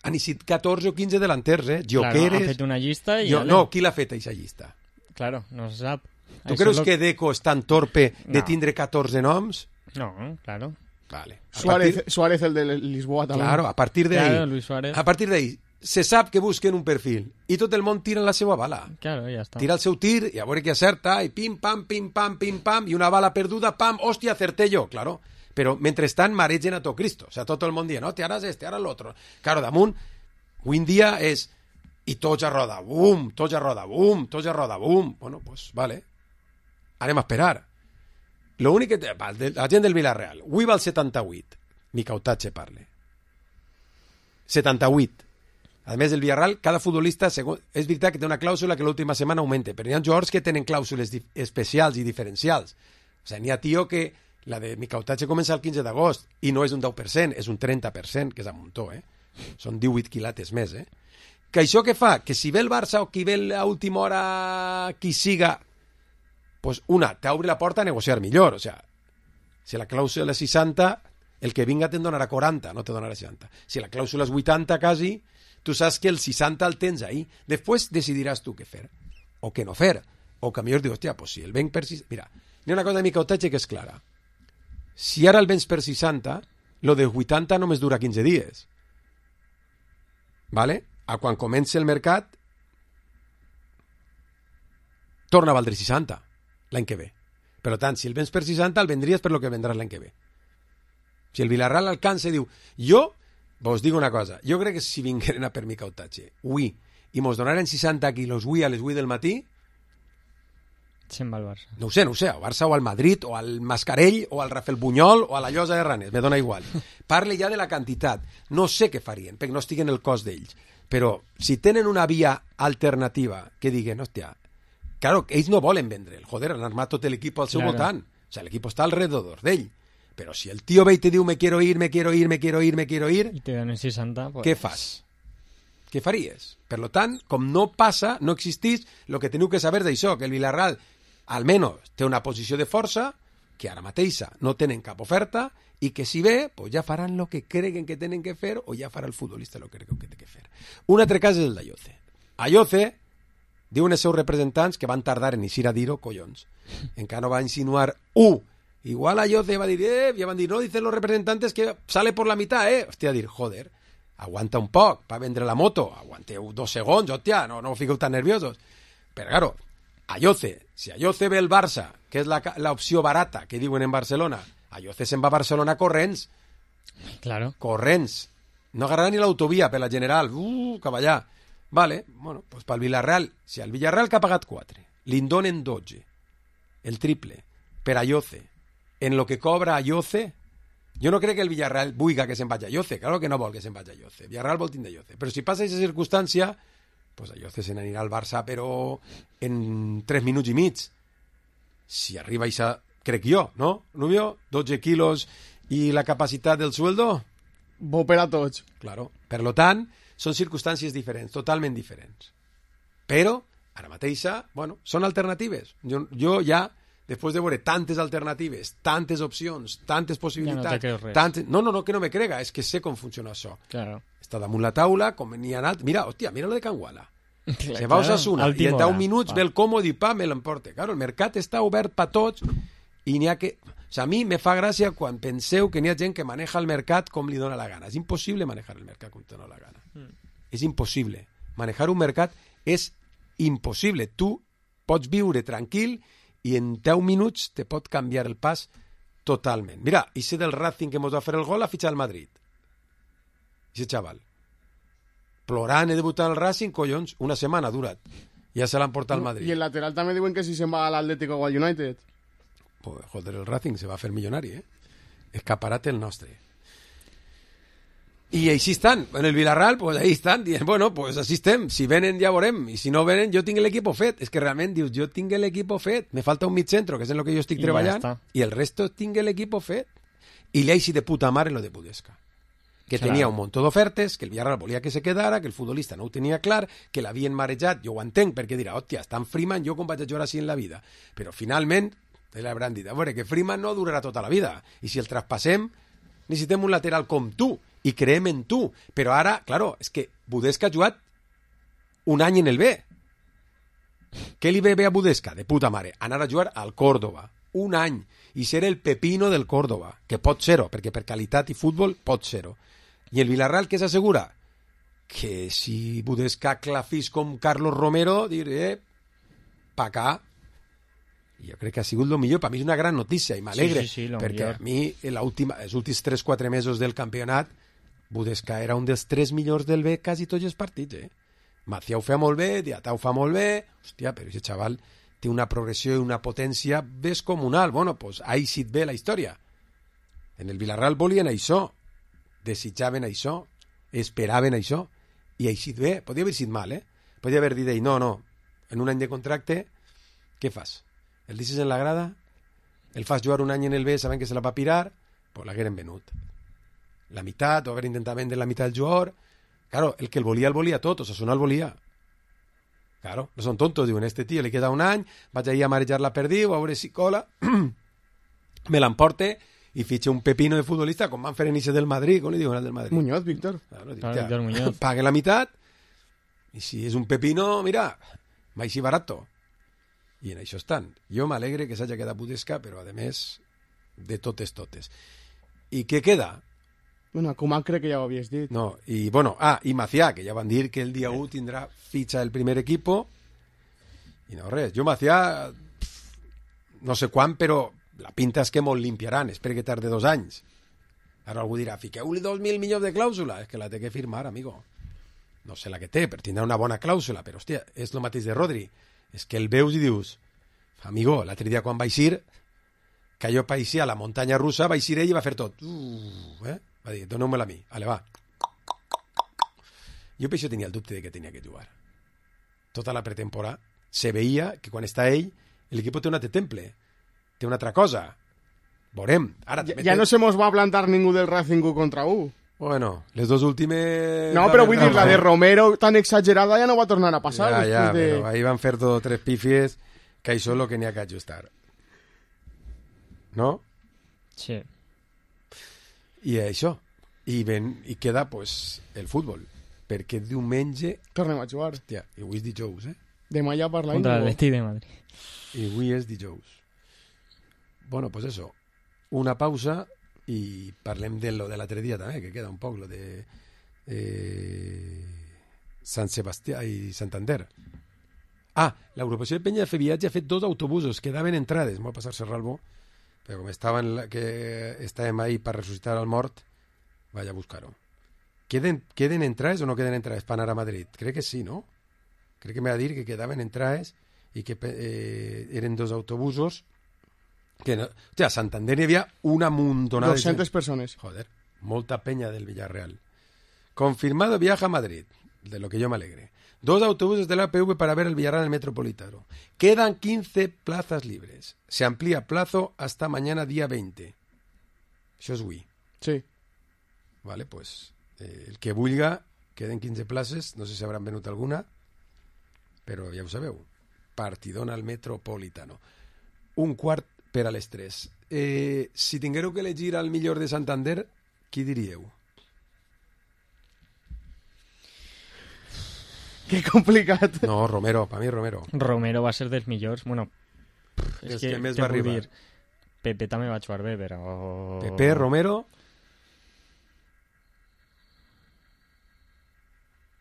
han sigut catorze o quinze delanters, eh? Joqueres... Claro, ha fet una llista i... Jo, no, qui l'ha fet, aquesta llista? Claro, no se sap. Tu Això creus lo... que Deco és tan torpe de No. tindre catorze noms? No, claro. Vale. A Suárez, partir- Suárez, el de Lisboa también. Claro, a partir de ahí, Claro, Luis Suárez. a partir de ahí, se sap que busquen un perfil i tot el món tira la seva bala. Claro, ja està. Tira el seu tir i a veure qui acerta i pim, pam, pim, pam, pim, pam i una bala perduda, pam, hòstia, acerté jo, claro. Però mentrestant maregen a tot Cristo. O sea, tot el món dient, no, te haràs este, ara l'altre. Claro, damunt, avui en dia és i tots a roda, bum, tots a roda, bum, tots a roda, bum. Bueno, pues vale. Anem a esperar. Lo únic que... Va, de, la gent del Villarreal. Avui va al setanta-vuit. Mica Otache parle. setanta-vuit. A més, el Villarreal, cada futbolista, segon, és veritat que té una clàusula que l'última setmana augmenta, però hi ha jugadors que tenen clàusules especials i diferencials. O sigui, n'hi ha tio que la de Micautatge comença el quinze d'agost i no és un deu per cent, és un trenta per cent, que és un muntó, eh? Són divuit quilates més, eh? Que això què fa? Que si ve el Barça o qui ve a última hora qui siga, pues una, t'obre la porta a negociar millor. O sea, si la clàusula és seixanta, el que vinga te'n donarà quaranta, no te donarà seixanta. Si la clàusula és vuitanta, quasi, tu saps que el seixanta el tens ahí. Després decidiràs tu què fer, o què no fer. O que millor dius, hòstia, pues si el venc per seixanta... Mira, hi ha una cosa de Micautatge que és clara. Si ara el vens per seixanta, lo de vuitanta només dura quinze dies. ¿Vale? A quan comenci el mercat, torna a valdre seixanta l'any que ve. Per tant, si el vens per seixanta, el vendries per lo que vendràs l'any que ve. Si el Villarreal alcança i diu, jo, vos dic una cosa, jo crec que si vingueren a per Micautatge, ui, i mos donaren seixanta quilos ui a les vuit del matí, se'n va al Barça. No ho sé, no ho sé, al Barça o al Madrid, o al Mascarell, o al Rafael Bunyol, o a la Llosa de Ranes, me dona igual. Parle ja de la quantitat. No sé què farien, perquè no estic en el cos d'ells. Però si tenen una via alternativa que diguen, hòstia, claro, ells no volen vendre, joder, han armat tot l'equip al seu Claro. voltant. O sea, l'equip està alrededor d'ell. Però si el tio ve i te diu, me quiero ir, me quiero ir, me quiero ir, me quiero ir, I te donen seixanta, pues... què fas? Què faries? Per lo tant, com no passa, no existís, el que teniu que saber d'això, que el Villarreal almenys té una posició de força, que ara mateixa no tenen cap oferta, i que si ve, pues ja faran el que creguen que tenen que fer, o ja farà el futbolista el que creu que té que fer. Un altre cas és el d'Ayoce. Ayoce, diuen els seus representants que van tardar en eixir a dir-ho, collons. Encara no va insinuar u. Igual Ayoce va dir, eh, ja van dir, no, dicen los representantes que sale por la mitad, eh. Hòstia, dir, joder, aguanta un poc, va vendre la moto, aguanteu dos segons, hòstia, no, no fiqueu tan nerviosos. Però, claro, Ayoce, si Ayoce ve el Barça, que és la, la opció barata que diuen en Barcelona, Ayoce se'n va a Barcelona corrents. Claro. Corrents. No agarrarà ni l'autovia per la General. Uh, cap allà. Vale, bueno, pues pel Villarreal, si el Villarreal que ha pagat quatre, li en donen dotze, el triple, per Ayoce, en lo que cobra Ayoce, jo no crec que el Villarreal vulga que se'n vagi a Ayoce, claro que no vol que se'n vagi a Ayoce, Villarreal vol tindre Ayoce, però si passa aquesta circumstància, pues Ayoce se n'anirà al Barça, però en tres minuts i mig. Si arriba això, crec jo, no, Rubio? dotze quilos i la capacitat del sueldo? Bo per a tots. Claro. Per lo tant, són circumstàncies diferents, totalment diferents. Però, ara mateixa, bueno, són alternatives. Jo, jo ja, després de veure tantes alternatives, tantes opcions, tantes possibilitats... Ja no te creus res. Tantes... No, no, no, que no me crega, és que sé com funciona això. Claro. Està damunt la taula, com n'hi ha anat... Mira, hòstia, mira lo de Can Guala. Clar, Se va a claro, Osasuna al i en timora, deu minuts va. ve el còmode i pa, me l'emporte. Claro, el mercat està obert per tots i n'hi ha que... O sea, a mi me fa gràcia quan penseu que n'hi ha gent que maneja el mercat com li dona la gana. És impossible manejar el mercat com te dona la gana. Mm. És impossible. Manejar un mercat és impossible. Tu pots viure tranquil i en deu minuts te pot canviar el pas totalment. Mira, ese del Racing que mos va fer el gol ha fitxat al Madrid. Ese xaval. Plorant, he debutat al Racing, collons, una setmana ha durat. Ja se l'han portat al Madrid. I el lateral també diuen que si se'n va a l'Atlético o al United. Pues, joder, el Racing se va a fer milionari, eh? Escaparate el nostre. I així estan. En el Villarreal, pues ahí estan. Dient, bueno, pues així estem. Si venen ja veurem. I si no venen, jo tinc l'equip fet. És que realment dius, jo tinc l'equip fet. Me falta un mig centro, que és en lo que jo estic I treballant. ja I el resto tinc l'equip fet. I li així de puta mare en lo de Budesca. Que Claro. tenia un munt d'ofertes, que el Villarreal volia que se quedara, que el futbolista no ho tenia clar, que l'havien marejat, jo ho entenc, perquè dirà, hòstia, està en Freeman, jo com vaig a jugar així en la vida. Però finalment, l'hauran dit, a veure, que Freeman no durarà tota la vida, i si el traspassem, necessitem un lateral com tu, i creem en tu. Però ara, claro, és que Budesca ha jugat un any en el B. Què li ve bé a Budesca? De puta mare, anar a jugar al Córdoba. Un any. I ser el pepino del Córdoba, que pot ser-ho, perquè per qualitat i futbol pot ser-ho. I el Villarreal què s'assegura? Que si Budesca clafís com Carlos Romero, diré, pa acá. I jo crec que ha sigut el millor. Per mi és una gran notícia i m'alegre, Sí, sí, sí, lo perquè millor. a mi la última, els últims tres quatre mesos del campionat Budesca era un dels tres millors del B quasi tots els partits, eh? Macià ho fa molt bé, Diatà ho fa molt bé, hòstia, però aquest xaval té una progressió i una potència descomunal. Bueno, pues ha eixit bé la història. En el Villarreal volien això, desitjaven això. esperaven això, i així bé, podia haver sigut mal, eh? Podia haver dit, no, no, en un any de contracte, què fas? El deixes en la grada, el fas jugar un any en el B sabent que se la va pirar, pues l'hagueren venut. La meitat, o haver intentat vendre la meitat del jugador. Claro, el que el volia, el volia tot, Osasuna el volia. Claro, no són tontos, diuen, este tio li queda un any, vaig ahir a marejar la perdiu, a veure si cola, me l'emporte i fitxe un pepino de futbolista, com van fer en Ixe del Madrid, com li diuen al del Madrid? Muñoz, Víctor. Claro, dic, Claro, ja, Víctor Muñoz. pague la meitat, i si és un pepino, mira, mai si barato. I en això estan. Jo m'alegre que s'hagi quedat Budesca, però a més, de totes, totes. I què queda? Bueno, Koeman crec que ja ho havies dit. No, i bueno, ah, i Macià, que ja van dir que el dia u tindrà fitxa del primer equipo, i no res. Jo Macià, no sé quan, però la pinta és que molt limpiaran, espero que tarde dos anys. Ara algú dirà, fiqueu-li dos mil milions de clàusula, és que la té que firmar, amigo. No sé la que té, però tindrà una bona clàusula, però hòstia, és el mateix de Rodri. És que el veus i dius, amigo, l'altre dia quan vaig ir, que jo païsia a la muntanya russa, vaig ir ell i va fer tot. Uh, eh? Va dir, doneu-me-la a mi. Ale, va. Jo per això tenia el dubte de que tenia que jugar. Tota la pretemporada se veia que quan està ell, l'equip té un altre temple, té una altra cosa. Veurem. Ara, ja, ja no se mos va plantar ningú del Racing u contra u. Bueno, les dos últimes... No, però vull dir, la de Romero tan exagerada ja no va tornar a passar. Ja, ja, de... però ahí van fer dos o tres pifies que això és el que n'hi ha que ajustar. No? Sí. I això. I, ven, i queda, pues, el futbol. Perquè diumenge... Tornem a jugar. Hòstia, i avui és dijous, eh? Demà ja parlem. Contra l'Atleti de Madrid. I avui és dijous. Bueno, pues eso. Una pausa i parlem de lo de l'altre dia també, que queda un poc, lo de eh, Sant Sebastià i Santander. Ah, l'agrupació de Penya de fer viatge ha fet dos autobusos, quedaven entrades, m'ho va passar Serralbo, però com estaven la, que estàvem ahí per ressuscitar el mort, vaig a buscar-ho. Queden, queden entrades o no queden entrades per anar a Madrid? Crec que sí, no? Crec que m'ha de dir que quedaven entrades i que eh, eren dos autobusos que no... O sea, a Santander hi havia una muntonada doscientas persones. Joder, molta penya del Villarreal. Confirmado viaje a Madrid, de lo que yo me alegre. Dos autobuses de la A P V para ver el Villarreal en el Metropolitano. Quedan quince plazas libres. Se amplía plazo hasta mañana día veinte. Això és avui. Sí. Vale, pues eh, el que vulga, queden quinze places, no sé si hauran venut alguna, però ja ho sabeu. Partidón al Metropolitano. Un quart per a les tres. Eh, si tinguéreu que elegir al millor de Santander, qui diríeu? Que complicat. No, Romero, per mi Romero. Romero va ser dels millors. Bueno, és, és que, que més va arribar. Dir, Pepe també va jugar bé, però... Pepe, Romero...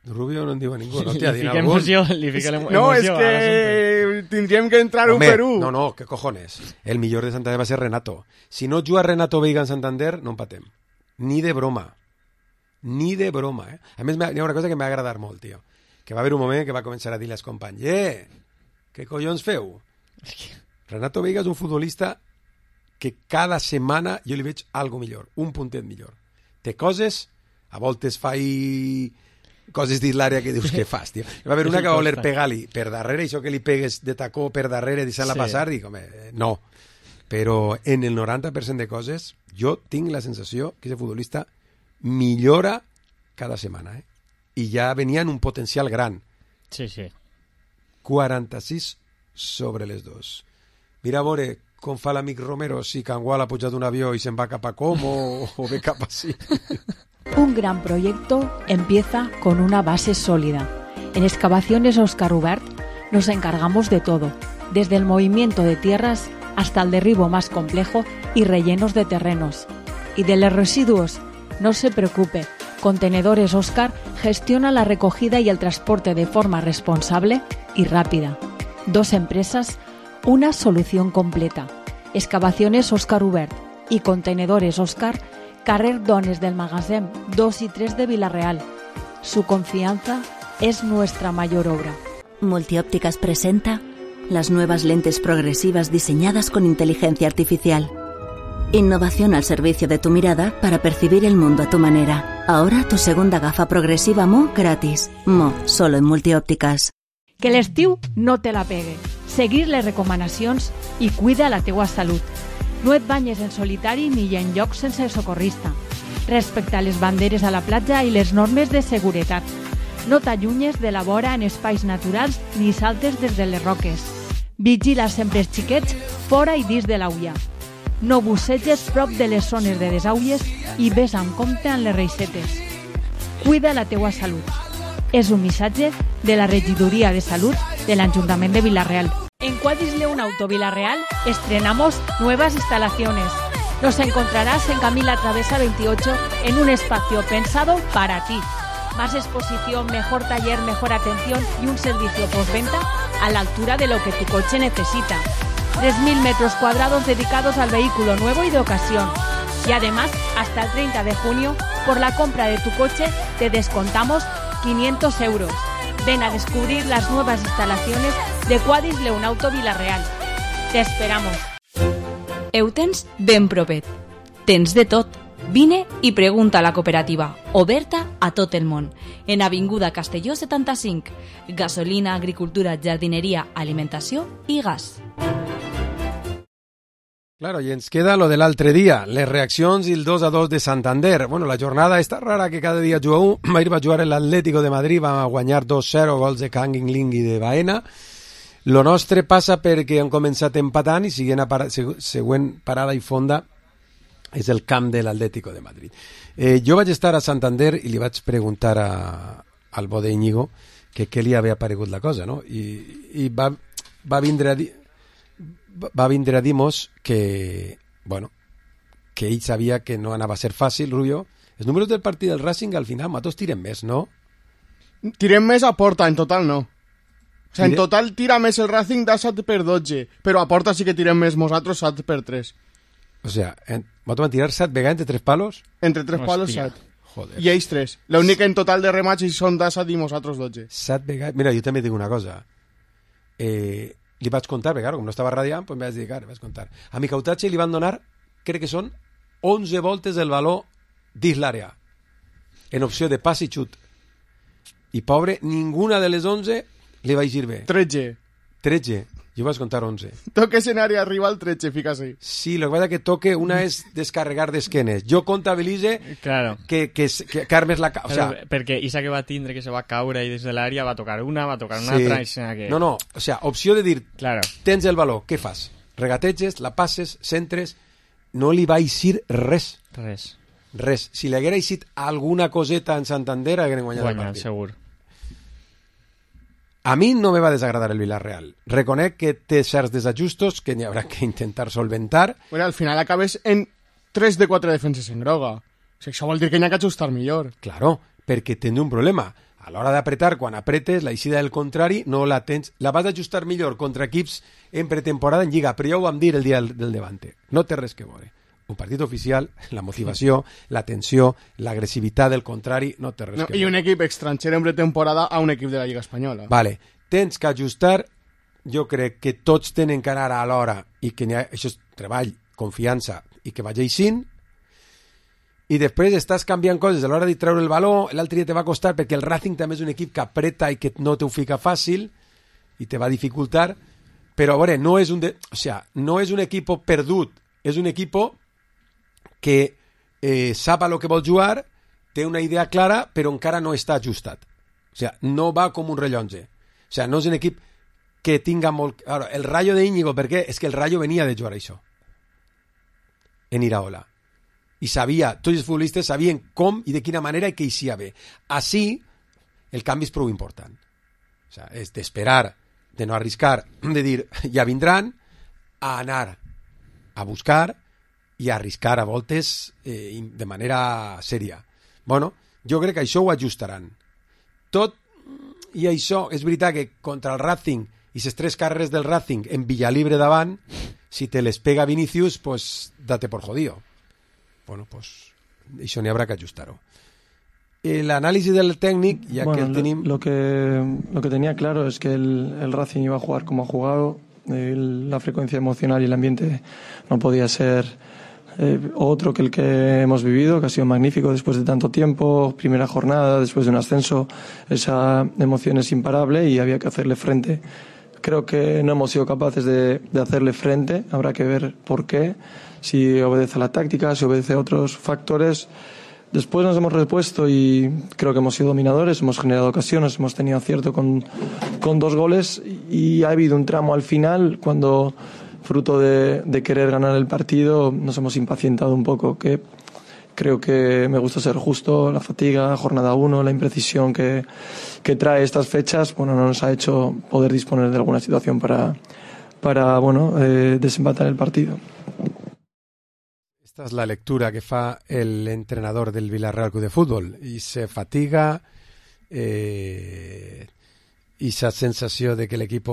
Rubio no en diu a ningú, no t'hi ha dit algun. Emoció, li fica l'emoció. No, és que tindríem que entrar un Home, per un. No, no, què cojones. El millor de Santander va ser Renato. Si no juga Renato Veiga en Santander, no empatem. Ni de broma. Ni de broma, eh? A més, hi ha una cosa que m'ha agradat molt, tio. Que va haver un moment que va començar a dir als companys, eh, què collons feu? Renato Veiga és un futbolista que cada setmana jo li veig algo millor, un puntet millor. Té coses, a voltes fa i... coses dins l'àrea que dius, què fas, tio? Va haver una que va voler pegar-li per darrere, això que li pegues de tacó per darrere, deixant-la sí. passar, dic, home, no. Però en el noranta per cent de coses, jo tinc la sensació que aquest futbolista millora cada setmana, eh? I ja venia en un potencial gran. Sí, sí. quaranta-sis sobre les dos. Mira a veure com fa l'amic Romero si Cangual ha pujat un avió i se'n va cap a Com o, o ve cap a sí. Un gran proyecto empieza con una base sólida. En Excavaciones Óscar Ubert nos encargamos de todo, desde el movimiento de tierras hasta el derribo más complejo y rellenos de terrenos. Y de los residuos, no se preocupe, Contenedores Óscar gestiona la recogida y el transporte de forma responsable y rápida. Dos empresas, una solución completa. Excavaciones Óscar Ubert y Contenedores Óscar, carrer Dones del Magasin dos y tres de Villarreal. Su confianza es nuestra mayor obra. Multiópticas presenta las nuevas lentes progresivas diseñadas con inteligencia artificial. Innovación al servicio de tu mirada para percibir el mundo a tu manera. Ahora tu segunda gafa progresiva Mo gratis. Mo, solo en Multiòptiques. Que l'estiu no te la pegue. Seguir les recomanacions i cuida la teua salut. No et banyes en solitari ni en llocs sense socorrista. Respecta les banderes a la platja i les normes de seguretat. No t'allunyes de la vora en espais naturals ni saltes des de les roques. Vigila sempre els xiquets fora i dins de l'aulla. No busseges prop de les zones de desaulles i ves amb compte en les reixetes. Cuida la teua salut. És un missatge de la Regidoria de Salud de l'Ajuntament de Vila-real. En Quadris León Auto Vila-real estrenamos nuevas instalaciones. Nos encontrarás en Camila Travesa veintiocho en un espacio pensado para ti. Más exposición, mejor taller, mejor atención y un servicio postventa a la altura de lo que tu coche necesita. tres mil metros cuadrados dedicados al vehículo nuevo y de ocasión. Y además, hasta el treinta de junio, por la compra de tu coche, te descontamos quinientos euros. Ven a descubrir las nuevas instalaciones de Quadris León Auto Vila-real. Te esperamos. Ho tens ben propet. Tens de tot. Vine i pregunta a la cooperativa, oberta a tot el món. En Avinguda Castelló setanta-cinc. Gasolina, agricultura, jardineria, alimentació i gas. Claro, i ens queda lo de l'altre dia, les reaccions i el dos a dos de Santander. Bueno, la jornada està rara que cada dia juga un. Ahir va jugar l'Atlético de Madrid, va guanyar dos zero, gols de Kangin Ling i de Baena. Lo nostre passa perquè han començat empatant i siguent a para, següent parada i fonda és el camp de l'Atlético de Madrid. Eh, jo vaig estar a Santander i li vaig preguntar a, al bo d'Iñigo que què li havia aparegut la cosa, no? I, i va, va vindre a dir va vindre a dir-nos que, bueno, que ell sabia que no anava a ser fàcil, Rubio. Els números del partit del Racing al final, matos tiren més, no? Tirem més a porta, en total no. O sigui, en total tira més el Racing de set per dotze, però a porta sí que tirem més nosaltres set per tres. O sea, ¿vos van a tirar set vegades entre tres palos? Entre tres Hostia. palos set. Joder. I ells tres. L'únic en total de remats són de set i nosaltres dotze. Set vegades. Mira, jo també dic una cosa. Eh, li vaig contar, perquè claro, com no estava radiant, pues me vaig dedicar, vaig contar. A mi Cautatge li van donar, crec que són onze voltes del valor dins l'àrea, en opció de pas i xut. I pobre, ninguna de les onze li va eixir bé. tretze. tretze. Jo vaig contar onze. Toques en àrea rival tretze, fica así. Sí, lo que pasa que toque una es descarregar d'esquenes. Jo comptabilitze claro. que, que, que, que armes la... O sea, Però, perquè Isa que va tindre que se va caure i des de l'àrea va tocar una, va tocar una sí. altra... I que... No, no, o sea, opció de dir, claro. tens el valor, què fas? Regateges, la passes, centres, no li va eixir res. Res. Res. Si li haguera eixit alguna coseta en Santander, hagueren guanyat el partit. Segur. A mi no me va desagradar el Villarreal. Reconec que té certs desajustos que n'hi haurà que intentar solventar. Bueno, al final acabes en tres de quatre defenses en groga. O sigui, això vol dir que n'hi ha que ajustar millor. Claro, perquè tens un problema. A l'hora d'apretar, quan apretes, la eixida del contrari no la tens... La vas ajustar millor contra equips en pretemporada en Lliga, però ja ho vam dir el dia del, del Levante. No té res que veure. Un partit oficial, la motivació, la tensió, l'agressivitat del contrari, no té res no, que veure. I un equip estranger en pretemporada a un equip de la Lliga Espanyola. Vale, tens que ajustar, jo crec que tots tenen que anar a l'hora i que ha, això és treball, confiança i que vagi aixint, i després estàs canviant coses a l'hora de treure el valor, l'altre dia te va costar perquè el Racing també és un equip que apreta i que no te ho fica fàcil i te va dificultar, però a veure, no és un, de, o sea, no és un equip perdut, és un equip que eh, sap a lo que vol jugar, té una idea clara, però encara no està ajustat. O sea, no va com un rellotge. O sea, no és un equip que tinga molt... Ara, el Rayo de Íñigo, per què? És que el Rayo venia de jugar això. En Iraola. I sabia, tots els futbolistes sabien com i de quina manera i que eixia bé. Així, el canvi és prou important. O sea, és d'esperar, de no arriscar, de dir, ja vindran, a anar a buscar i a arriscar a voltes eh, de manera sèria. Bueno, jo crec que això ho ajustaran. Tot i això, és veritat que contra el Racing i les tres carreres del Racing en Villalibre davant, si te les pega Vinicius, pues date por jodido. Bueno, pues això n'hi haurà que ajustar-ho. El análisis del técnico, ya bueno, que el tenim... lo, que, lo que tenía claro es que el, el Racing iba a jugar como ha jugado, el, la frecuencia emocional y el ambiente no podía ser eh, otro que el que hemos vivido, que ha sido magnífico después de tanto tiempo, primera jornada, después de un ascenso, esa emoción es imparable y había que hacerle frente. Creo que no hemos sido capaces de, de hacerle frente, habrá que ver por qué, si obedece a la táctica, si obedece a otros factores. Después nos hemos repuesto y creo que hemos sido dominadores, hemos generado ocasiones, hemos tenido acierto con, con dos goles y ha habido un tramo al final cuando, fruto de, de querer ganar el partido, nos hemos impacientado un poco, que creo que me gusta ser justo, la fatiga, jornada uno, la imprecisión que, que trae estas fechas, bueno, no nos ha hecho poder disponer de alguna situación para, para bueno, eh, desempatar el partido. Esta és la lectura que fa l'entrenador del Villarreal Club de Futbol i se fatiga eh, i esa sensació de que l'equip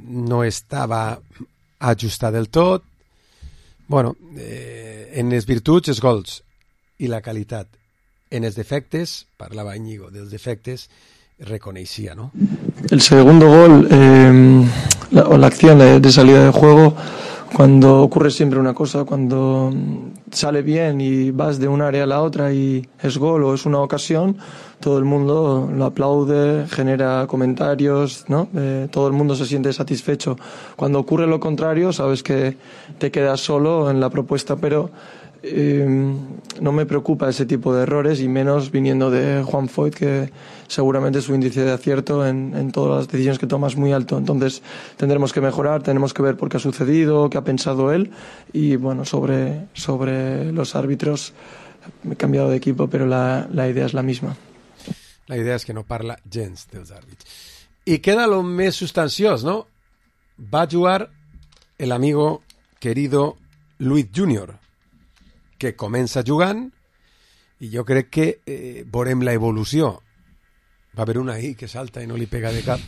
no estava ajustat del tot. Bueno, eh, en les virtuts els gols i la qualitat. En els defectes, parlava Íñigo dels defectes, reconeixia, ¿no? El segundo gol eh, la, o la acción de, de salida de juego, cuando ocurre siempre una cosa, cuando sale bien y vas de un área a la otra y es gol o es una ocasión, todo el mundo lo aplaude, genera comentarios, ¿no? Eh, todo el mundo se siente satisfecho. Cuando ocurre lo contrario, sabes que te quedas solo en la propuesta, pero eh, no me preocupa ese tipo de errores y menos viniendo de Juan Foyth, que seguramente su índice de acierto en, en todas las decisiones que toma es muy alto. Entonces tendremos que mejorar, tenemos que ver por qué ha sucedido, qué ha pensado él y bueno, sobre, sobre los árbitros he cambiado de equipo, pero la, la idea es la misma. La idea és que no parla gens dels àrbits. I queda lo més sustanciós, no? Va jugar el amigo querido Luis Junior, que comença jugant i jo crec que eh, veurem la evolució. Va haver una ahí que salta i no li pega de cap.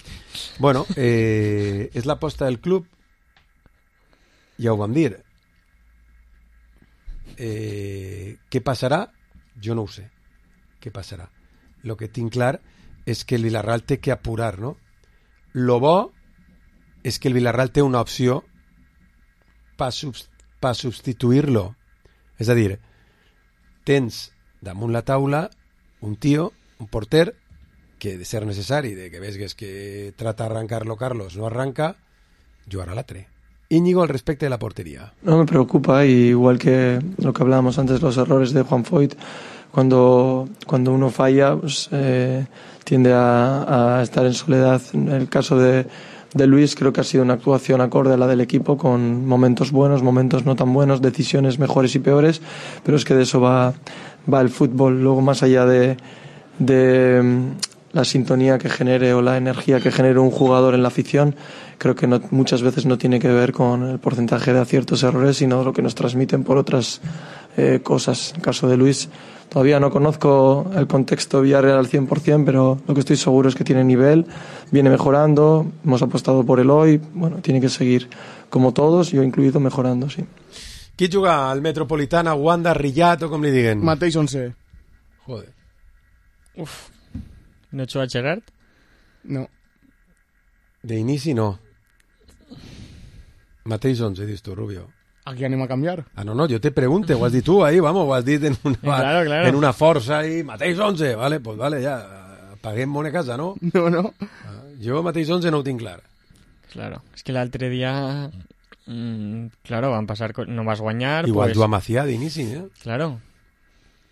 Bueno, eh, és l'aposta del club, ja ho vam dir. Eh, què passarà? Jo no ho sé. Què passarà? Lo que tinc clar és que el Villarreal té que apurar, no? Lo bo és que el Villarreal té una opció per subst pa substituir-lo. És a dir, tens damunt la taula un tio, un porter, que de ser necessari, de que veus que trata d'arrancar-lo Carlos, no arranca, jugarà l'altre. Íñigo, al respecte de la portería. No me preocupa, y igual que lo que hablábamos antes, los errores de Juan Foyth, cuando, cuando uno falla, pues, eh, tiende a, a estar en soledad. En el caso de, de Luis, creo que ha sido una actuación acorde a la del equipo, con momentos buenos, momentos no tan buenos, decisiones mejores y peores, pero es que de eso va, va el fútbol. Luego, más allá de, de la sintonía que genere o la energía que genere un jugador en la afición, creo que no, muchas veces no tiene que ver con el porcentaje de aciertos errores, sino lo que nos transmiten por otras eh, cosas. En el caso de Luis, todavía no conozco el contexto Villarreal al cien por ciento, pero lo que estoy seguro es que tiene nivel, viene mejorando, hemos apostado por él hoy, bueno, tiene que seguir como todos, yo incluido, mejorando, sí. Qui juga al Metropolitana, Wanda, Rillat o com li diguen? Mateix once. Joder. Uf. ¿No echó a Gerard? No. De inici no. Mateix once, dius tu, Rubio. Aquí anem a canviar. Ah, no, no, jo te pregunte, ho has dit tu ahí, vamos, ho has dit en una, claro, claro. En una força ahí, mateix once, vale, pues vale, ja, paguem bona casa, no? No, no. Ah, jo mateix once no ho tinc clar. Claro, es que l'altre dia, mmm, claro, van passar, no vas guanyar. Igual pues... tu a Macià d'inici, eh? Claro.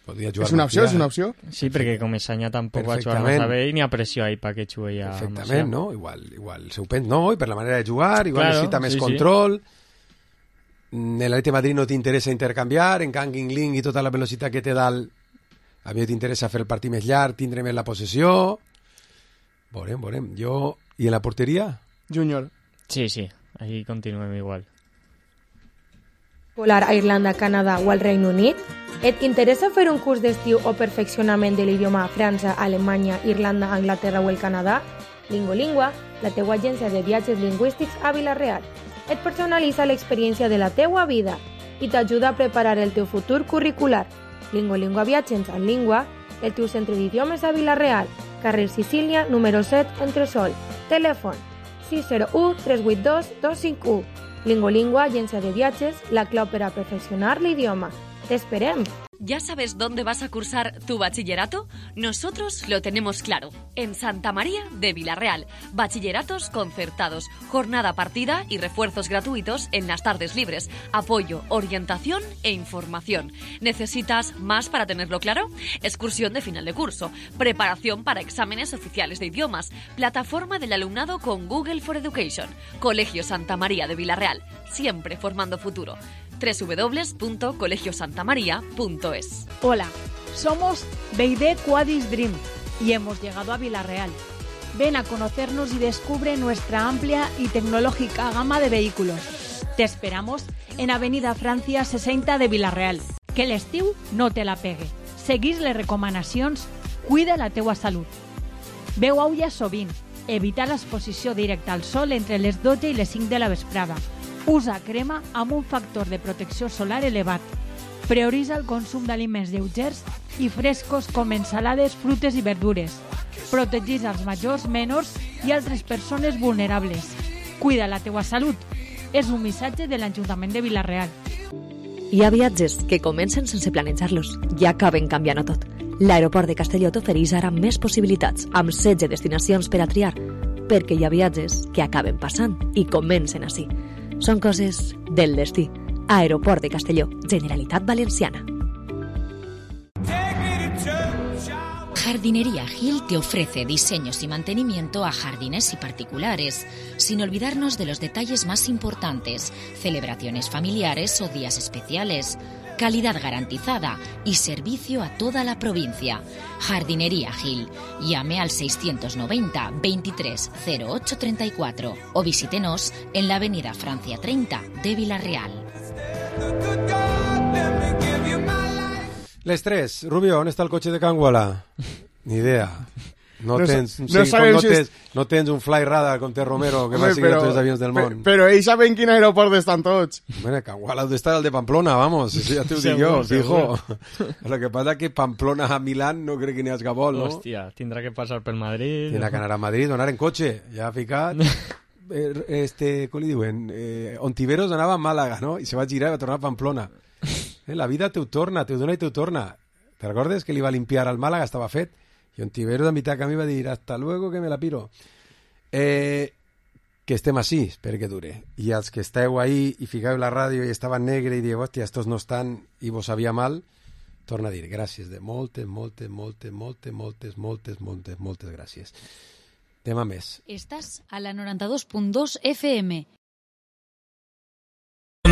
Podria jugar és una opció, Macià, és una opció? Sí, perquè com Esanya tampoc va jugar massa bé i n'hi ha pressió ahí perquè jugui a Macià. Perfectament, no? Igual, igual seu pen, no? I per la manera de jugar, igual claro, necessita més sí, control. Sí. L'Atleti Madrid no t'interessa intercanviar, en canvi Ling i tota la velocitat que té dalt, a mi t'interessa fer el partit més llarg, tindre més la possessió. Veurem, veurem. Jo... I en la porteria? Júnior. Sí, sí, ahí continuem igual. Volar a Irlanda, Canadà o al Regne Unit? Et interessa fer un curs d'estiu o perfeccionament de l'idioma a França, Alemanya, Irlanda, Anglaterra o el Canadà? Lingolingua, la teua agència de viatges lingüístics a Vila-real. Et personalitza l'experiència de la teua vida i t'ajuda a preparar el teu futur curricular. Lingolingua Viatges en Língua, el teu centre d'idiomes a Vila-real, carrer Sicília, número set, Entresol. Telèfon sis zero u tres vuit dos dos cinc u. Lingolingua, agència de viatges, la clau per a perfeccionar l'idioma. ¡T'esperem! ¿Ya sabes dónde vas a cursar tu bachillerato? Nosotros lo tenemos claro. En Santa María de Vilarreal. Bachilleratos concertados, jornada partida y refuerzos gratuitos en las tardes libres. Apoyo, orientación e información. ¿Necesitas más para tenerlo claro? Excursión de final de curso. Preparación para exámenes oficiales de idiomas. Plataforma del alumnado con Google for Education. Colegio Santa María de Vilarreal. Siempre formando futuro. doble u doble u doble u punto colegio santa maría punto es. Hola, somos Beide Quadis Dream y hemos llegado a Vilarreal. Ven a conocernos y descubre nuestra amplia y tecnológica gama de vehículos. Te esperamos en Avenida Francia sesenta de Vilarreal. Que l'estiu no te la pegue. Seguís les recomanacions, cuida la teua salut. Beu aigua sovint, evita l'exposició directa al sol entre les dotze i les cinc de la vesprada. Usa crema amb un factor de protecció solar elevat. Prioritza el consum d'aliments lleugers i frescos com ensalades, frutes i verdures. Protegeix els majors, menors i altres persones vulnerables. Cuida la teua salut. És un missatge de l'Ajuntament de Vilarreal. Hi ha viatges que comencen sense planejar-los i acaben canviant-ho tot. L'aeroport de Castelló t'ofereix ara més possibilitats, amb setze destinacions per a triar, perquè hi ha viatges que acaben passant i comencen així. Són coses del destí. Aeroport de Castelló, Generalitat Valenciana. Jardinería Gil te ofrece diseños y mantenimiento a jardines y particulares, sin olvidarnos de los detalles más importantes, celebraciones familiares o días especiales, calidad garantizada y servicio a toda la provincia. Jardinería Gil. Llame al seiscientos noventa veintitrés cero ocho treinta y cuatro o visítenos en la avenida Francia treinta de Vilarreal. Les tres. Rubio, on està el cotxe de Can Guala? Ni idea. No, No tens, sa- no, no sí, sabem no, si tens, és- no tens un fly radar com té Romero, que Home, va seguir però- tots els avions del pe- món. Però ells saben quin aeroport estan tots. Bueno, Can Guala debe estar el de Pamplona, vamos, eso ya te lo digo yo, Seguro, fijo. Lo que pasa es que Pamplona a Milán no crec que n'hi hagi vol, no? Hòstia, tindrà que passar per Madrid. Tindrà que anar a Madrid, anar en cotxe, ja ha ficat. Eh, este, com li diuen? Eh, Ontiveros anava a Màlaga, no? I se va girar i va tornar a Pamplona. Eh, la vida te ho torna, te ho dona i te ho torna. ¿Te recordes que li va limpiar al Màlaga? Estava fet. I Ontiveros a mitad camí va dir hasta luego que me la piro. Eh, que estem així, espero que dure. I els que esteu ahí i ficau la ràdio i estava negre i dieu, hòstia, estos no estan i vos sabia mal, torna a dir gràcies de moltes, moltes, moltes, moltes, moltes, moltes, moltes, moltes gràcies. Tema més. Estás a la noranta dos punt dos F M.